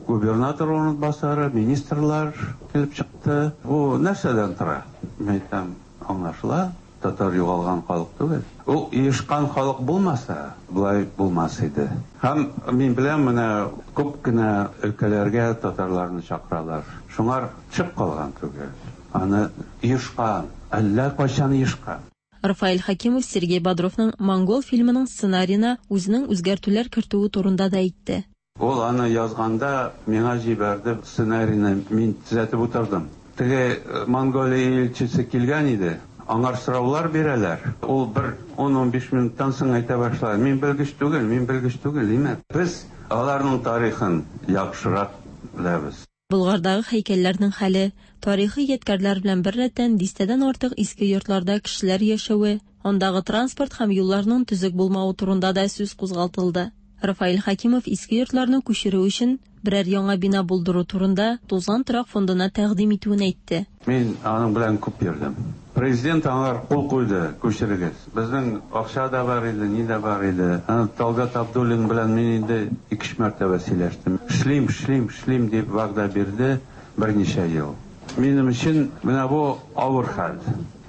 губернатор урынбасары, министрлар килеп чыкты. Бу нәрсәдән тора? Мин әйтәм, аңлашыла, татар югалган халык түгел. Ул оешкан халык булмаса, болай булмас иде. Һәм мин беләм, менә күп кенә өлкәләргә татарларны чакыралар. Шуңар төшеп калган түгел. Аны оешкан, әллә кайчан оешкан. Рафаэль Хәкимов Сергей Бодровның Монгол фильмының сценариена үзенең үзгәртүләр кертүе турында да әйтте. Ул аны язганда миңа җибәрде сценарийны, мин төзәтеп утырдым. Теге Монголия илчесе килгән иде, аңар сораулар бирәләр. Ул бер ун-унбиш минуттан соң әйтә башлады, мин белгеч түгел, мин белгеч түгел, димәк, без аларның тарихын яхшырак беләбез. Болгардагы һәйкәлләрнең хәле, тарихи ядкәрләр белән беррәттән дистәдән артык иске йортларда кешеләр яшәве, андагы транспорт һәм юлларның төзек булмавы турында да сүз кузгалтылды. Рафаэль Хәкимов иске йортларны күчерү өчен берәр яңа бина булдыру турында тузган торак фондына тәкъдим итүен әйтте. Мин аның белән күп йөрдем. Президент аңар кул куйды, күчерегез. Безнең акча да бар иде, ни дә бар иде. Аны Талгат Абдуллин белән мин инде ике-өч мәртәбә сөйләштем. Эшлим, эшлим, эшлим дип вәгъдә бирде берничә ел. Минем өчен менә бу авыр хәл.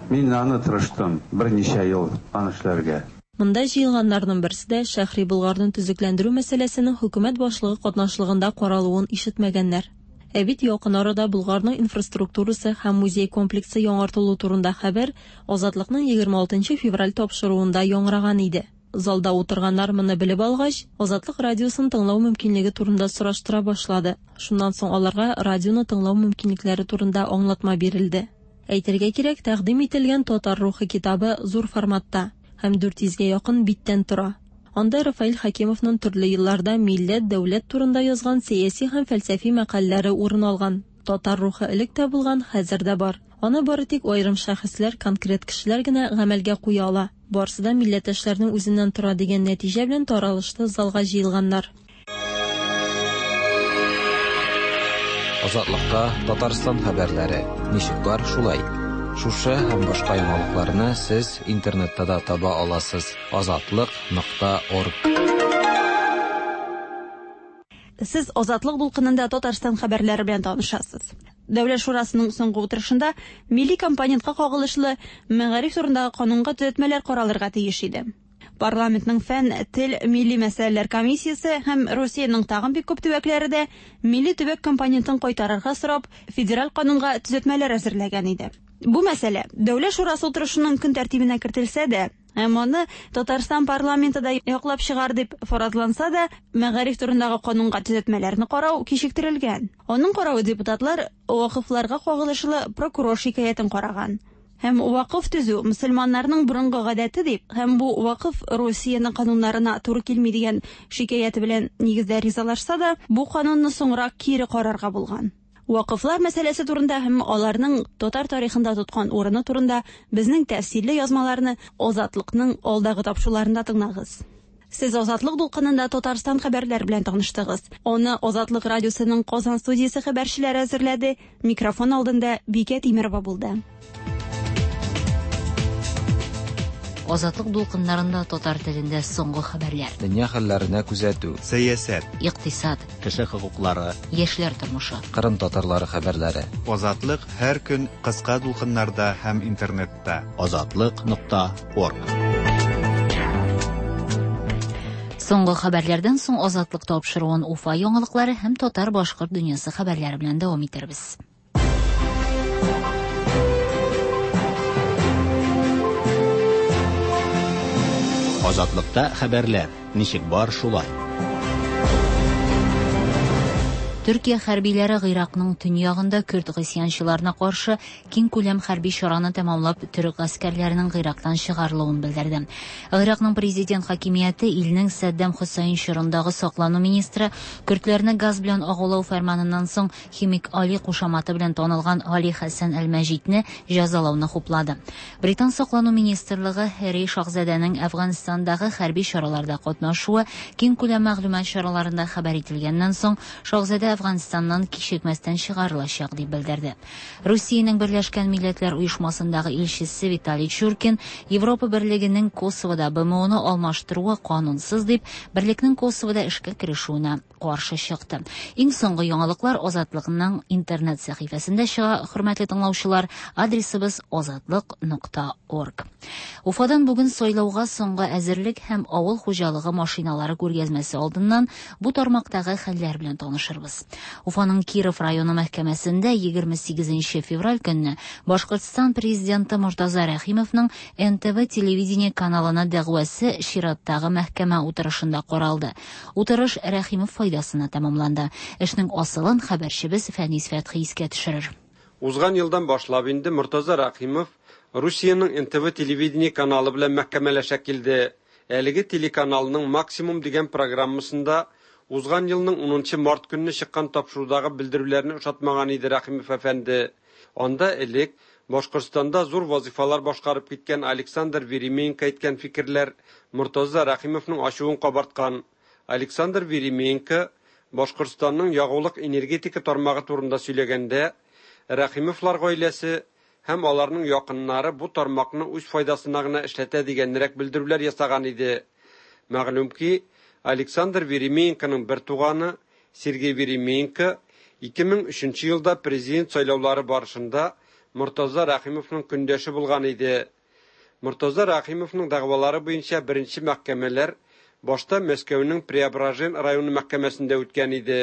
Мин аны тырыштым берничә ел аны эшләргә. Монда җыелганнарның берсе дә Шәһри Болгарны төзекләндерү мәсьәләсенең хөкүмәт башлыгы катнашлыгында каралуын ишетмәгәннәр. Ә бит якын арада Болгарның инфраструктурасы һәм музей комплексы яңартылу турында хәбәр Азатлыкның 26 нчы февраль тапшыруында яңгыраган иде. Залда утырганнар моны белеп алгач, Азатлык радиосын тыңлау мөмкинлеге турында сораштыра башлады. Шуннан соң аларга радионы тыңлау мөмкинлекләре турында аңлатма бирелде. Әйтергә кирәк, тәкъдим ителгән Татар рухы китабы зур форматта һәм 400 гә якын биттән тора. Анда Рафаэль Хәкимовның төрле елларда милләт, дәүләт турында язган сәяси һәм фәлсәфи мәкаләләре урын алган. Татар рухы элек тә булган, хәзер дә бар. Аны бары тик аерым шәхесләр, конкрет кешеләр генә гамәлгә куя ала. Барсы да милләттәшләрнең үзеннән тора дигән нәтиҗә белән таралышты залга җыелганнар. Азатлыкта Татарстан хәбәрләре ничек бар шулай. Шушы һәм башка яңалыкларны сез интернетта да таба аласыз. Азатлык нокта орг. Сез Азатлык дулкынында Татарстан хәбәрләре белән танышасыз. Дәүләт шурасының соңгы утырышында милли компонентка кагылышлы мәгариф турындагы канунга төзәтмәләр каралырга тиеш иде. Парламентның фән, тел, милли мәсьәләләр комиссиясе һәм Русиянең тагын бик күп төбәкләре дә милли төбәк компонентын кайтарырга сорап, федераль канунга төзәтмәләр әзерләгән иде. Бу мәсьәлә Дәүләт шурасы утырышының көн тәртибенә кертелсә дә, һәм аны Татарстан парламенты да яклап чыгар дип фаразланса да, мәгариф турындагы канунга төзәтмәләрне карау кичектерелгән. Аның каравы депутатлар вакыфларга кагылышлы прокурор шикаятен караган. Һәм вакыф төзү мөселманнарның борынгы гадәте дип һәм бу вакыф Русиянең кануннарына туры килми дигән шикаяте белән нигездә ризалашса да, бу канунны соңрак кире карарга булган. Вакыфлар мәсьәләсе турында һәм аларның татар тарихында тоткан урыны турында безнең тәфсилле язмаларны Азатлыкның алдагы тапшыруларында тыңлагыз. Сез Азатлык дулкынында Татарстан хәбәрләре белән таныштыгыз. Аны Азатлык радиосының Казан студиясе хәбәрчеләре әзерләде. Микрофон алдында Бикә Тимерова булды. Азатлык дулкыннарында татар телендә соңгы хәбәрләр. Дөнья хәлләренә күзәтү. Сәясәт. Икътисад. Кеше хокуклары. Яшьләр тормышы. Кырым татарлары хәбәрләре. Азатлык һәр көн кыска дулкыннарда һәм интернетта. Азатлык.орг. Соңгы хәбәрләрдән соң Азатлык тапшыруын Уфа яңалыклары һәм татар-башкорт дөньясы хәбәрләре белән дәвам итәрбез. Азатлыкта хәбәрләр ничек бар шулай. Төркия хәрбиләре Гыйракның төньягында көрд гыйсьянчыларына каршы киңкүләм хәрби чараны тәмамлап, төрек гаскәрләренең Гыйрактан чыгарылуын белдерде. Гыйракның президент хакимияте илнең Саддам Хөсәйн чорындагы саклану министры көрдләрне газ белән агулау фәрманыннан соң Химик Али кушаматы белән танылган Али Хәсән әл-Мәҗидне җәзалауны хуплады. Британ саклану министрлыгы Һәрри шаһзадәнең Әфганстандагы хәрби чараларда катнашуы киңкүләм мәгълүмат чараларында хәбәр ителгәннән соң шаһзадә Әфганстаннан кичекмәстән чыгарылачак дип белдерде. Русиянең Берләшкән Милләтләр Оешмасындагы илчесе Виталий Чуркин Европа Берлегенең Косовода БМОны алмаштыруы канунсыз дип, берлекнең Косовода эшкә керешүенә каршы чыкты. Иң соңгы яңалыклар Азатлыкның интернет сәхифәсендә чыга, хөрмәтле тыңлаучылар, адресыбыз азатлык.орг. Уфадан бүген сайлауга соңгы әзерлек һәм авыл хуҗалыгы машиналары күргәзмәсе алдыннан бу тармактагы хәлләр белән танышырбыз. Уфаның Киров районы мәхкәмәсендә 28 февраль көнне Башкортстан президенты Мортаза Рәхимовның НТВ телевидение каналына дәгъвасы чираттагы мәхкәмә утырышында каралды. Утырыш Рәхимов файдасына тәмамланды. Эшнең асылын хәбәрчебез Фәнис Фәтхи искә төшерер. Узган елдан башлап инде Мортаза Рәхимов Русиянең НТВ телевидение каналы белән мәхкәмәләшә килде. Әлеге телеканалның Максимум дигән программасында узган елның 10 март көнне чыккан тапшырудагы белдерүләрне ошатмаган иде Рәхимов әфәнде. Анда элек Башкортстанда зур вазифалар башкарып киткән Александр Веременко әйткән фикерләр Мортаза Рәхимовның ачуын кабарткан. Александр Веременко Башкортстанның ягулык энергетика тармагы турында сөйләгәндә, Рәхимовлар гаиләсе һәм аларның якыннары бу тармакны үз файдасына гына эшләтә дигәнрәк белдерүләр ясаган иде. Мәгълүм ки, Александр Веременконың бер туганы Сергей Веременко 2003 елда президент сайлаулары барышында Мортаза Рәхимовның көндәше булган иде. Мортаза Рәхимовның дәгъвалары буенча беренче мәхкәмәләр башта Мәскәүнең Преображен районы мәхкәмәсендә үткән иде.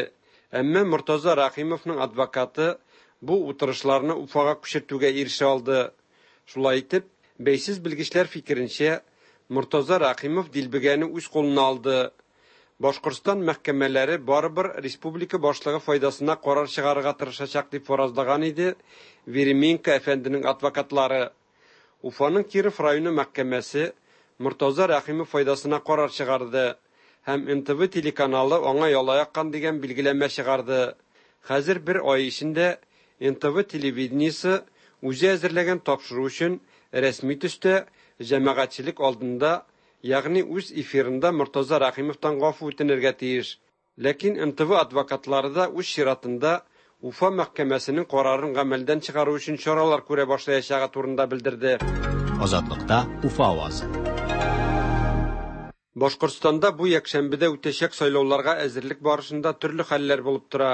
Әмма Мортаза Рәхимовның адвокаты бу утырышларны Уфага күчертүгә ирешә алды. Шулай итеп, бәйсез белгечләр фикеренчә, Мортаза Рәхимов дилбегәне үз кулына алды. Башкортстан мәхкәмәләре барыбер республика башлыгы файдасына карар чыгарырга тырышачак дип фаразлаган иде Веременко әфәнденең адвокатлары. Уфаның Киров районы мәхкәмәсе Мортаза Рәхимов файдасына карар чыгарды һәм НТВ телеканалы аңа яла яккан дигән билгеләмә чыгарды. Хәзер бер ай эчендә НТВ телевидениесе үзе әзерләгән тапшыру өчен рәсми төстә җәмәгатьчелек алдында, ягъни үз эфирында Мортаза Рәхимовтан гафу үтенергә тиеш. Ләкин НТВ адвокатлары да үз чиратында Уфа мәхкәмәсенең карарын гамәлдән чыгару өчен чаралар күрә башлаячагы турында белдерде. Азатлыкта Уфа авазы. Башкортстанда бу якшәмбедә үтәчәк сайлауларга әзерлек барышында төрле хәлләр булып тора.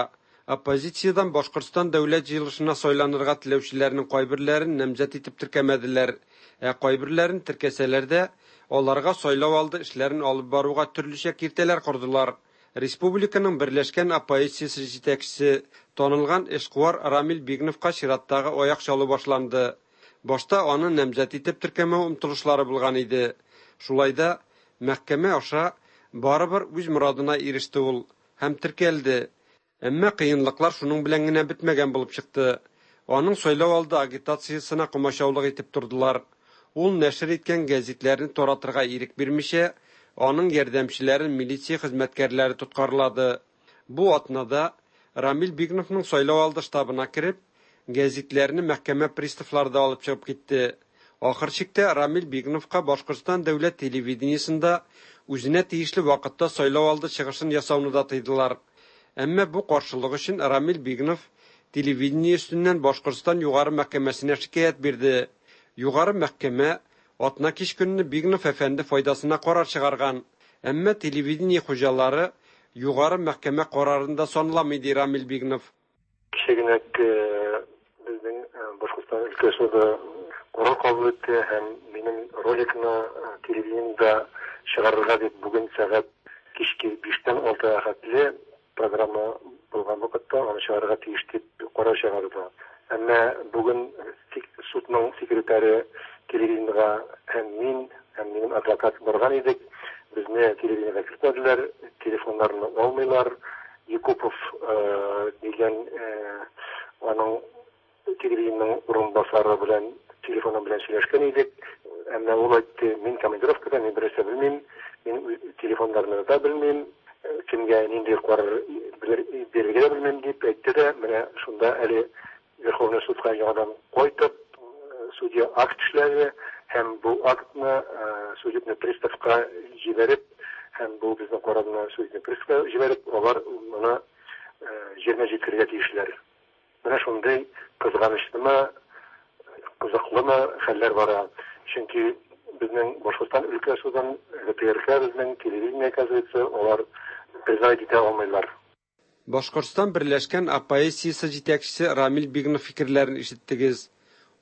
Оппозициядән Башкортстан дәүләт җыелышына сайланырга теләүчеләрнең кайберләрен намзәт итеп теркәмәделәр, ә кайберләрен теркәсәләр дә, аларга сайлау алды эшләрен алып баруга төрлечә киртәләр кордылар. Республиканың берләшкән оппозициясе җитәкчесе танылган эшкуар Рамил Бигновка чираттагы аяк чалу башланды. Башта аны намзәт итеп теркәмәү омтылышлары булган иде. Шулай да мәхкәмә аша барыбер үз морадына иреште ул һәм теркәлде. Әмма кыенлыклар шуның белән генә бетмәгән булып чыкты. Аның сайлау алды агитациясенә комачаулык итеп тордылар. Ул нәшер иткән гәзитләрне таратырга ирек бирмичә, аның ярдәмчеләрен милиция хезмәткәрләре тоткарлады. Бу атнада Рамил Бигновның сайлау алды штабына кереп, гәзитләрне мәхкәмә приставлары да алып чыгып китте. Ахыр чиктә Рамил Бигновка Башкортстан дәүләт телевидениесендә үзенә тиешле вакытта сайлау алды чыгышын ясауны да тыйдылар. Әмма бу каршылык өчен Рамил Бигнов телевидение өстеннән Башкортстан Югары мәхкәмәсенә шикаять бирде. Югары мәхкәмә атна кич көнне Бигнов әфәнде файдасына карар чыгарган. Әмма телевидение хуҗалары Югары мәхкәмә карарын да санламый, ди Рамил Бигнов. Кичә генә безнең Башкортстан өлкә суды карар кабул итте һәм минем роликны телевидениедә чыгарырга дип бүген сәгать кичке биштән алтыга хәтле программа булган вакытта аны чыгарырга тиеш дип карар чыгарды. Әмма бүген судның секретаре телевидениегә һәм мин, һәм минем адвокат барган идек. Безне телевидениегә кертмәделәр, телефоннарны алмыйлар. Якупов дигән аның телевидениенең урынбасары белән телефоны белән сөйләшкән идек. Әмма ул әйтте, мин командировкада, мин бернәрсә белмим, мин телефоннарны да белмим, кемгә нинди карар бирергә дә белмим дип әйтте дә, менә шунда әле Верховный судка яңадан кайтып, судья акт эшләде һәм бу актны судебный приставка җибәреп, һәм бу безнең карарны судебный приставка җибәреп, алар моны җиренә җиткерергә тиешләр. Менә шундый кызганычлымы, кызыклымы хәлләр бара. Чөнки безнең Башкортстан өлкә судын, ГТРК безнең, телевидение, оказывается, алар признать итә алмыйлар. Башкортстан берләшкән оппозициясе җитәкчесе Рамил Бигнов фикерләрен ишеттегез.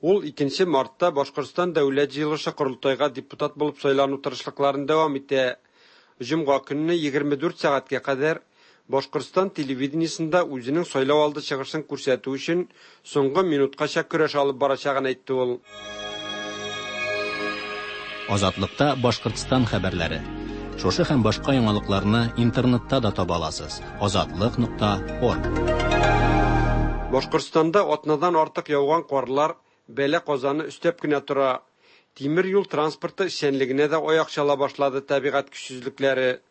Ул 2 мартта Башкортстан Дәүләт җыелышы корылтайга депутат булып сайлану тырышлыкларын дәвам итә. Җомга көнне 24 сәгатькә кадәр Башкортстан телевидениесендә үзенең сайлау алды чыгышын күрсәтү өчен соңгы минуткача көрәш алып барачагын әйтте ул. Азатлыкта Башкортстан хәбәрләре. Шушы һәм башка яңалыкларны интернетта да таба аласыз. Азатлык.орг. Башкортстанда атнадан артык яуган карлар бәла-казаны өстәп кенә тора. Тимер юл транспорты эшчәнлегенә дә аяк чала башлады табигать көчсезлекләре.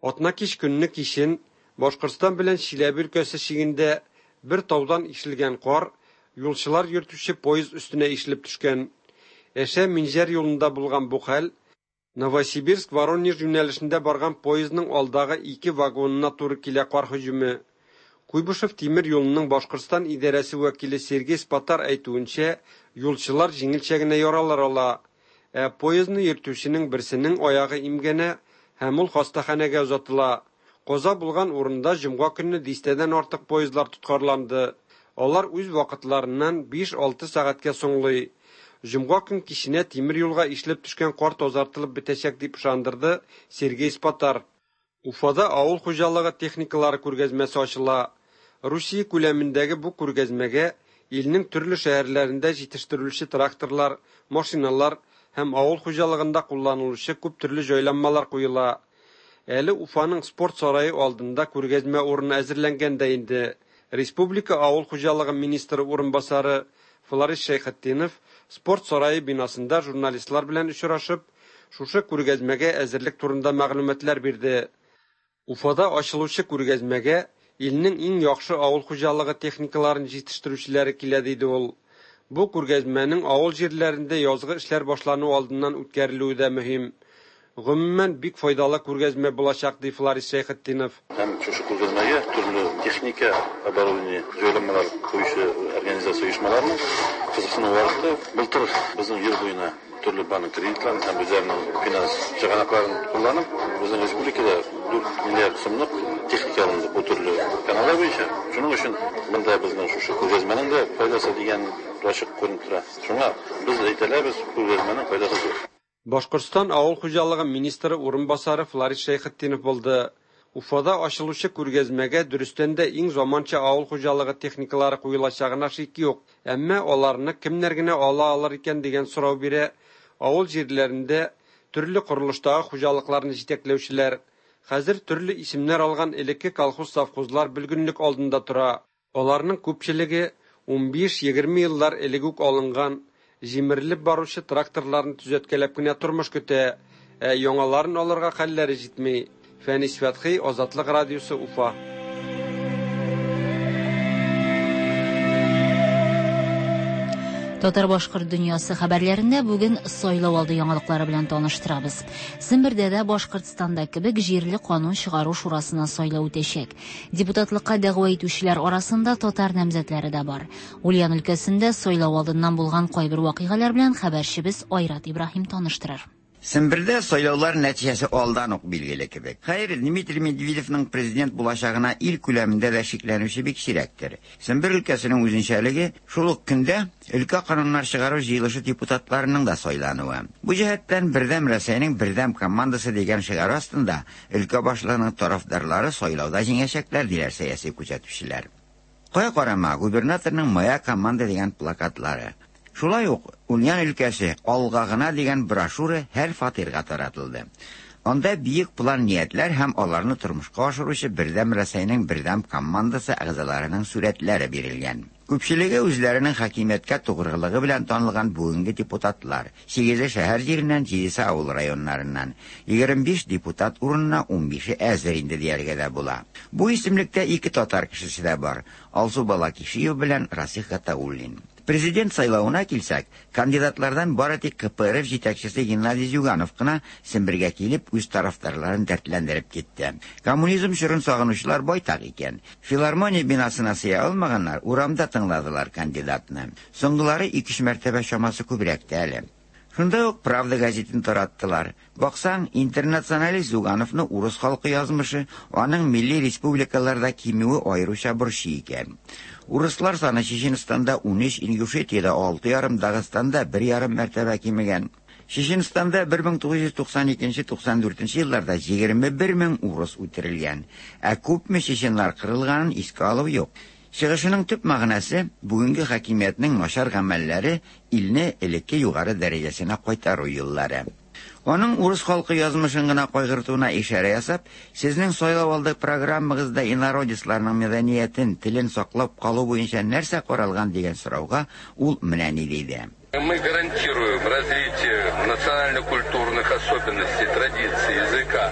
Атна кич көнне кичен Башкортстан белән Чиләбе өлкәсе чигендә бер таудан ишелгән кар юлчылар йөртүче поезд өстенә ишелеп төшкән. Әшә Минҗәр юлында булган бу хәл Новосибирск Воронеж юнәлешендә барган поездның алдагы ике вагонына туры килә кар һөҗүме. Куйбышев тимер юлының Башкортстан идарәсе вәкиле Сергей Спатар әйтүенчә, юлчылар җиңелчә генә яралар ала. Ә поездны йөртүченең берсенең аягы имгәнә һәм ул хастаханәгә озатыла. Каза булган урында җомга көнне дистәдән артык поездлар тоткарланды. Алар үз вакытларыннан 5-6 сәгатькә соңлый. Җомга көн киченә тимер юлга ишелеп төшкән кар тазартылып бетәчәк дип ышандырды Сергей Спатар. Уфада авыл хуҗалыгы техникалары күргәзмәсе ачыла. Русия күләмендәге бу күргәзмәгә илнең төрле шәһәрләрендә җитештерелүче тракторлар, машиналар һәм авыл хуҗалыгында кулланылучы күп төрле җайланмалар куела. Әле Уфаның спорт сарае алдында күргәзмә урыны әзерләнгән дә инде. Республика авыл хуҗалыгы министры урынбасары Фларис Шәйхетдинов спорт сарае бинасында журналистлар белән очрашып, шушы күргәзмәгә әзерлек турында мәгълүматлар бирде. Уфада ачылучы күргәзмәгә илнең иң яхшы авыл хуҗалыгы техникаларын җитештерүчеләре килә, диде ул. Бу күргәзмәнең авыл җирләрендә язгы эшләр башлану алдыннан үткәрелүе дә мөһим. Гомумән, бик файдалы күргәзмә булачак, ди Фларис Шәйхетдинов. Һәм шушы күргәзмәгә төрле техника, оборудование, җайланмалар куючы организация оешмаларының кызыксынуы артты. Былтыр безнең ел буена төрле банк кредитларын һәм үзләренең финанс чыганакларын кулланып, безнең республикада 4 миллиард сумлык техника алынды бу төрле каналлар буенча. Шуның өчен монда безнең шушы күргәзмәнең дә файдасы дигән ачык күренеп тора. Шуңа без әйтә алабыз, күргәзмәнең файдасы зур. Башкортстан авыл хуҗалыгы министры урынбасары Фларис Шәйхетдинов булды. Уфада ачылучы күргәзмәгә дөрестән дә иң заманча авыл хуҗалыгы техникалары куелачагына шик юк. Әмма аларны кемнәр генә ала алыр икән дигән сорау бирә авыл җирләрендә төрле корылыштагы хуҗалыкларны җитәкләүчеләр. Хәзер төрле исемнәр алган элекке колхоз-совхозлар бөлгенлек алдында тора. Аларның күпчелеге Унбиш-егерме еллар элек үк алынган, җимерелеп баручы тракторларны төзәткәләп кенә тормыш көтә, ә яңаларын алырга хәлләре җитми. Фәнис Фәтхи, Азатлык радиосы, Уфа. Татар-башкорт дөньясы хәбәрләрендә бүген сайлау алды яңалыклары белән таныштырабыз. Сембердә дә Башкортстанда кебек җирле канун чыгару шурасына сайлау үтәчәк. Депутатлыкка дәгъва итүчеләр арасында татар намзәтләре дә бар. Ульян өлкәсендә сайлау алдыннан булган кайбер вакыйгалар белән хәбәрчебез Айрат Ибраһим таныштырыр. Сембердә сайлаулар нәтиҗәсе алдан ук билгеле кебек. Хәер, Дмитрий Медведевның президент булачагына ил күләмендә дә шикләнүче бик сирәктер. Сембер өлкәсенең үзенчәлеге, шул ук көндә өлкә кануннар чыгару җыелышы депутатларының да сайлануы. Бу җәһәттән Бердәм Рәсәйнең бердәм командасы дигән шигаре астында өлкә башлыгының тарафдарлары сайлауда җиңәчәкләр, диләр сәяси күзәтүчеләр. Кая карама, губернаторның Моя команда дигән плакатлары. Шулай ук Ульян өлкәсе алга гына дигән брошюра һәр фатирга таратылды. Анда биек план-ниятләр һәм аларны тормышка ашыручы Бердәм Рәсәйнең бердәм командасы әгъзаларының сурәтләре бирелгән. Күпчелеге үзләренең хакимияткә тугрылыгы белән танылган бүгенге депутатлар. Сигезе шәһәр җиреннән, җидесе авыл районнарыннан. 25 депутат урынына унбише әзер инде дияргә дә була. Бу исемлектә ике татар кешесе дә бар, Алсу Балакишиева белән Расих Гатауллин. Президент сайлавына килсәк, кандидатлардан бары тик КПРФ җитәкчесе Геннадий Зюганов кына Сембергә килеп, үз тарафдарларын дәртләндереп китте. Коммунизм чорын сагынучылар байтак икән. Филармония бинасына сыя алмаганнар урамда тыңладылар кандидатны. Соңгылары ике-өч мәртәбә чамасы күбрәк тә әле. Шунда ук Правда гәзитен тараттылар. Баксаң, интернационалист Зюгановны урыс халкы язмышы, аның милли республикаларда кимүе аеруча борчый икән. Урыслар саны Чеченстанда унөч, Ингушетиядә алты ярым, Дагыстанда бер ярым мәртәбә кимегән. Чеченстанда 1992-94 елларда 21 мең урыс үтерелгән. Ә күпме чеченнар кырылганын искә алу юк. Чыгышының төп мәгънәсе, бүгенге хакимиятнең начар гамәлләре илне элекке югары дәрәҗәсенә кайтару юллары. Аның урыс халкы язмышын гына кайгыртуына ишарә ясап, сезнең сайлау алды программагызда инородецларның мәдәниятен, телен саклап калу буенча нәрсә каралган дигән сорауга ул менә ни диде. Мы гарантируем развитие национально-культурных особенностей, традиций, языка,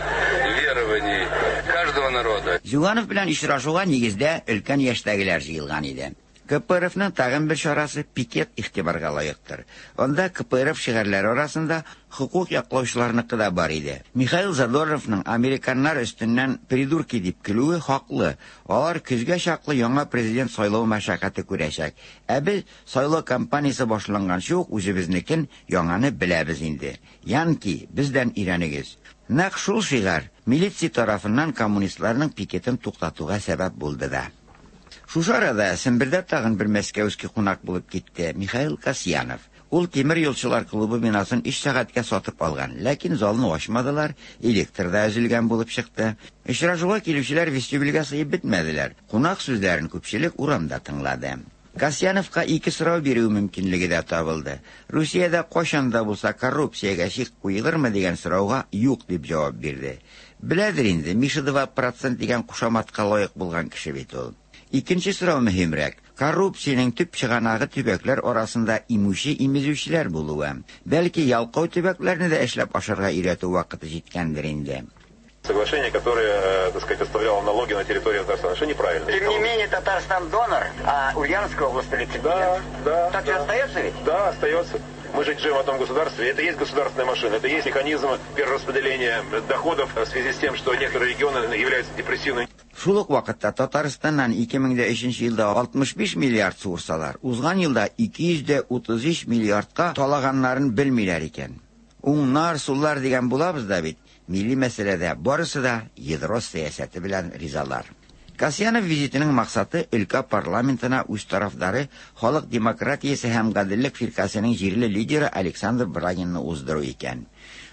верований каждого народа. Зюганов белән очрашуга нигездә өлкән яшьтәгеләр җыелган иде. КПРФның тагын бер чарасы пикет игътибарга лаектыр. Анда КПРФ шигарьләре арасында хокук яклаучыларныкы да бар иде. Михаил Задорновның американнар өстеннән придурки дип көлүе хаклы. Алар көзгә чаклы яңа президент сайлау мәшәкате күрәчәк. Ә без сайлау кампаниясе башланганчы ук үзебезнекен, яңаны беләбез инде. Янки, бездән өйрәнегез. Нәкъ шул шигарь милиция тарафыннан коммунистларның пикетын туктатуга сәбәп булды да. Шушы арада Сембердә тагын бер мәскәүский кунак булып китте, Михаил Касьянов. Ул тимер юлчылар клубы бинасын өч сәгатькә сатып алган, ләкин залны ачмадылар, электр да өзелгән булып чыкты. Очрашуга килүчеләр вестибюльгә сыеп бетмәделәр. Кунак сүзләрен күпчелек урамда тыңлады. Касьяновка ике сорау бирү мөмкинлеге дә табылды. Русиядә кайчан да булса коррупциягә чик куелырмы дигән сорауга юк дип җавап бирде. Беләдер инде, Миша два процент дигән кушаматка лаек булган кеше бит ул. Икенче сорау мөһимрәк. Коррупциянең төп чыганагы төбәкләр арасында имүче-имезүчеләр булуы. Бәлки, ялкау төбәкләрне дә эшләп ашарга өйрәтү вакыты җиткәндер инде. Соглашение, которое, так сказать, оставляло налоги на территории Татарстана, что неправильно. Тем не менее, Татарстан донор, а Ульяновская область реципиент. Да, да. Так да. же остается ведь? Да, остается. Мы же живем в одном государстве, это и есть государственная машина, это и есть механизм перераспределения доходов в связи с тем, что некоторые регионы являются депрессивными. Шул ук вакытта Татарстаннан 2003 елда 65 миллиард суырсалар, узган елда 233 миллиардка талаганнарын белмиләр икән. Уңнар, суллар дигән булабыз да бит, милли мәсьәләдә барысы да ядро сәясәте белән ризалар. Касьянов визитының максаты өлкә парламентына үз тарафдары Халык демократиясе һәм гаделлек фиркасының җирле лидеры Александр Брагинны уздыру икән.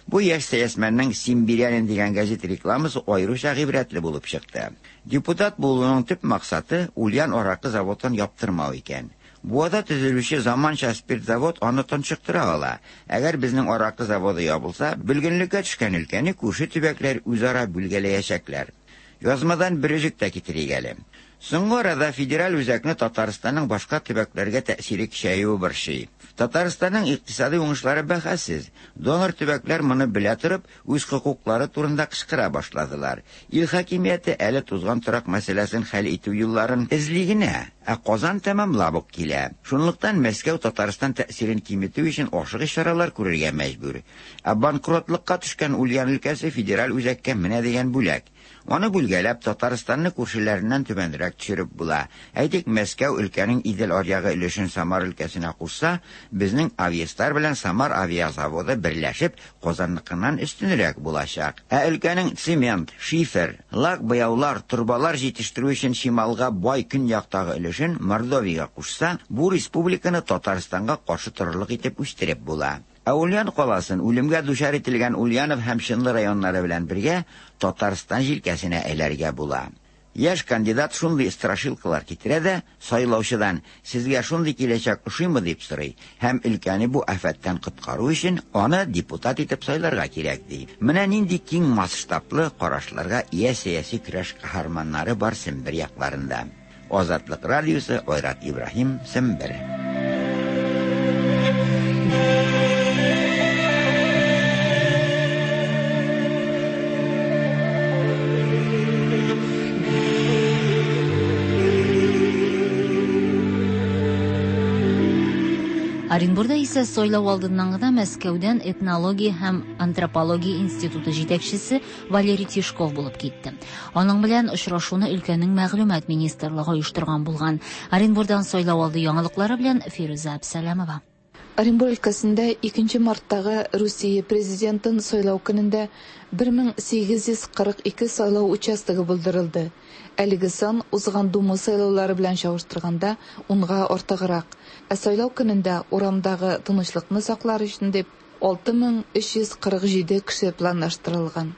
Бу яшь сәясмәннең Симбирянин дигән газет рекламасы аеруча гыйбрәтле булып чыкты. Депутат булуның төп максаты Ульян аракы заводын яптырмау икән. Буада төзелүче заманча спирт завод аны тончыктыра ала. Әгәр безнең аракы заводы ябылса, бөлгенлеккә төшкән өлкәне күрше төбәкләр үзара бүлгәләячәкләр. Язмадан бер өзек тә китерик әле. Соңгы арада федераль үзәкне Татарстанның башка төбәкләргә тәэсире көчәюе борчый. Татарстанның икътисадый уңышлары бәхәссез. Донор төбәкләр моны белә торып, үз хокуклары турында кычкыра башладылар. Ил хакимияте әле тузган торак мәсьәләсен хәл итү юлларын эзли генә, ә Казан тәмамлап ук килә. Шунлыктан Мәскәү Татарстан тәэсирен киметү өчен ашыгыч чаралар күрергә мәҗбүр. Ә банкротлыкка төшкән Ульян өлкәсе федераль үзәккә менә дигән бүләк. Аны бүлгәләп, Татарстанны күршеләреннән түбәнрәк төшереп була. Әйтик, Мәскәү өлкәнең Идел аръягы өлешен Самар өлкәсенә кушса, безнең Авиастар белән Самар авиазаводы берләшеп, Казанныкыннан өстенрәк булачак. Ә өлкәнең цемент, шифер, лак-буяулар, торбалар җитештерү өчен чималга бай көньяктагы өлешен Мордовиягә кушса, бу республиканы Татарстанга каршы торырлык итеп үстереп була. Ә Ульян каласын, үлемгә дучар ителгән Ульянов һәм Чынлы районнары белән бергә, Татарстан җилкәсенә эләргә була. Яшь кандидат шундый страшилкалар китерә дә, сайлаучыдан, сезгә шундый киләчәк ошыймы дип сорый һәм өлкәне бу афәттән коткару өчен аны депутат итеп сайларга кирәк ди. Менә нинди киң масштаблы карашларга ия сәяси көрәш каһарманнары бар Сембер якларында. Азатлык радиосы, Айрат Ибраһим, Сембер. Оренбурда исә сайлау алдыннан гына Мәскәүдән этнология һәм антропология институты җитәкчесе Валерий Тишков булып китте. Аның белән очрашуны өлкәнең мәгълүмат министрлыгы оештырган булган. Оренбурдан сайлау алды яңалыклары белән Фирүзә Әбсәләмова. Оренбур өлкәсендә 2 марттагы Русия президентын сайлау көнендә 1842 сайлау участогы булдырылды. Әлеге сан узган Дума сайлаулары белән чагыштырганда унга артыграк. Ә сайлау көнендә урамдагы тынычлыкны саклар өчен дип 6347 кеше планлаштырылган.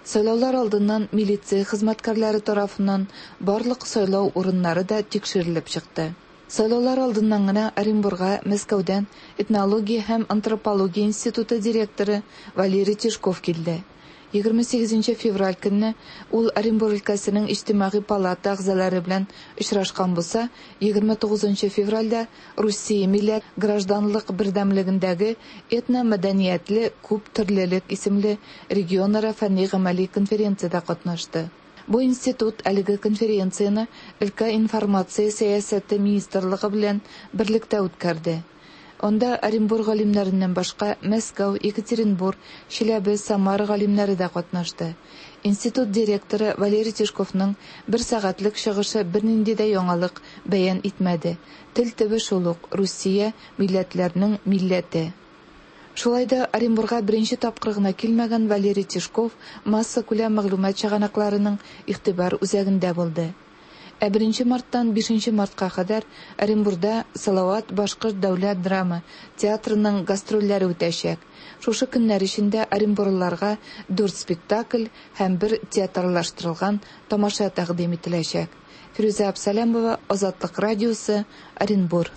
Сайлаулар алдыннан милиция хезмәткәрләре тарафыннан барлык сайлау урыннары да тикшерелеп чыкты. Сайлаулар алдыннан гына Оренбурга Мәскәүдән этнология һәм антропология институты директоры Валерий Тишков килде. 28 февраль көнне ул Оренбур өлкәсенең иҗтимагый палата әгъзалары белән очрашкан булса, 29 февральдә Русия милләт гражданлык бердәмлегендәге этномәдәниятле күп төрлелек исемле регионара фәнни-гамәли конференциядә катнашты. Бу институт әлеге конференцияне өлкә информация сәясәте министрлыгы белән берлектә үткәрде. Анда Оренбур галимнәреннән башка Мәскәү, Екатеринбур, Чиләбе, Самара галимнәре дә катнашты. Институт директоры Валерий Тишковның бер сәгатьлек чыгышы бернинди дә яңалык бәян итмәде. Тел төбе шул ук, Русия милләтләрнең милләте. Шулай да Оренбурга беренче тапкыр гына килмәгән Валерий Тишков массакүләм мәгълүмат чыганакларының игътибар үзәгендә булды. Ә 1 марттан 5 мартка кадәр Оренбурда Салават башкорт дәүләт драма театрының гастрольләре үтәчәк. Шушы көннәр эчендә оренбурлыларга 4 спектакль һәм бер театрлаштырылган тамаша тәкъдим ителәчәк. Фирүзә Абсалямова, Азатлык радиосы, Оренбур.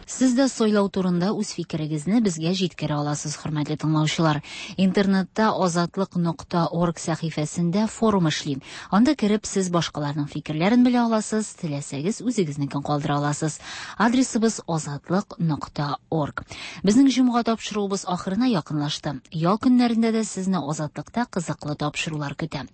Сез дә сайлау турында үз фикерегезне безгә җиткерә аласыз, хөрмәтле тыңлаучылар. Интернетта азатлык.орг сәхифәсендә форум эшли. Анда кереп сез башкаларның фикерләрен белә аласыз, теләсәгез үзегезнекен калдыра аласыз. Адресыбыз азатлык.орг. Безнең җомга тапшыруыбыз ахырына якынлашты. Ял көннәрендә дә сезне Азатлыкта кызыклы тапшырулар көтә.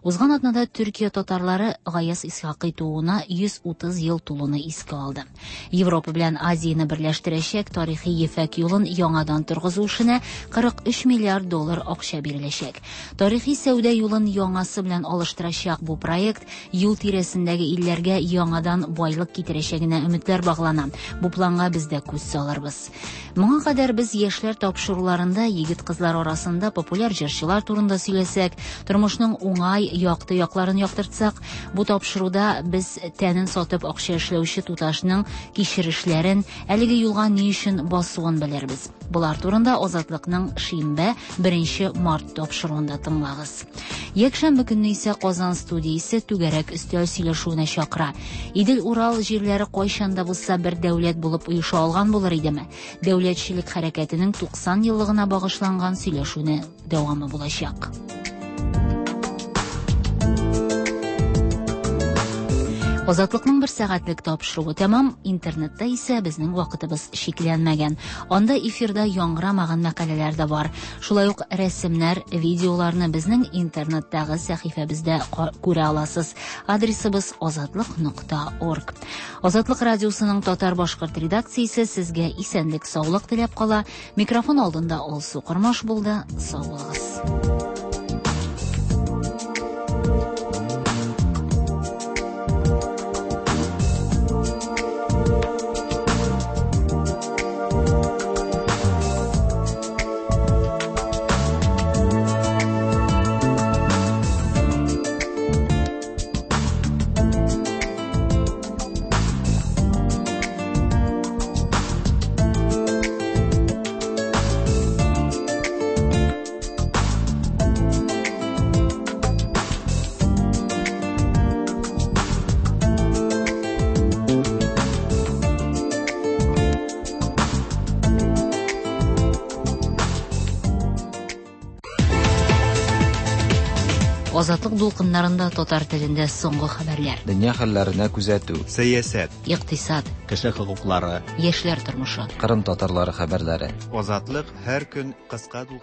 Узган атнада Төркия татарлары Гаяз Исхакый тууына 130 ел тулуны искә алды. Европа белән Азияне берләштерәчәк тарихи ефәк юлын яңадан торгызу эшенә 43 миллиард доллар акча биреләчәк. Тарихи сәүдә юлын яңасы белән алыштырачак бу проект юл тирәсендәге илләргә яңадан байлык китерәчәгенә өметләр баглана. Бу планга без дә күз салырбыз. Моңа кадәр без яшьләр тапшыруларында егет-кызлар арасында популяр җырчылар турында сөйләсәк, тормышның уңай, якты якларын яктыртсак, бу тапшыруда без тәнен сатып акча эшләүче туташның кичерешләрен, әлеге юлга ни өчен басуын белербез. Болар турында Азатлыкның шимбә 1 март тапшыруында тыңлагыз. Якшәмбе көнне исә Казан студиясе түгәрәк өстәл сөйләшүенә чакыра. Идел-Урал җирләре кайчан да булса бер дәүләт булып оеша алган булыр идеме? Дәүләтчелек хәрәкәтенең 90 еллыгына багышланган сөйләшүне дәвамы булачак. Азатлыкның бер сәгатьлек тапшыруы тәмам. Интернетта исә безнең вакытыбыз чикләнмәгән. Анда эфирда яңгырамаган мәкаләләр дә бар. Шулай ук рәсемнәр, видеоларны безнең интернеттагы сәхифәбездә күрә аласыз. Адресыбыз азатлык.орг. Азатлык радиосының татар-башкорт редакциясе сезгә исәнлек, саулык теләп кала. Микрофон алдында Алсу Кормаш булды. Сау булыгыз. Азатлык дулкыннарында татар телендә соңгы хәбәрләр. Дөнья хәлләренә күзәтү. Сәясәт. Икътисад. Кеше хокуклары. Яшьләр тормышы. Кырым татарлары хәбәрләре. Азатлык һәр көн кыска дулкын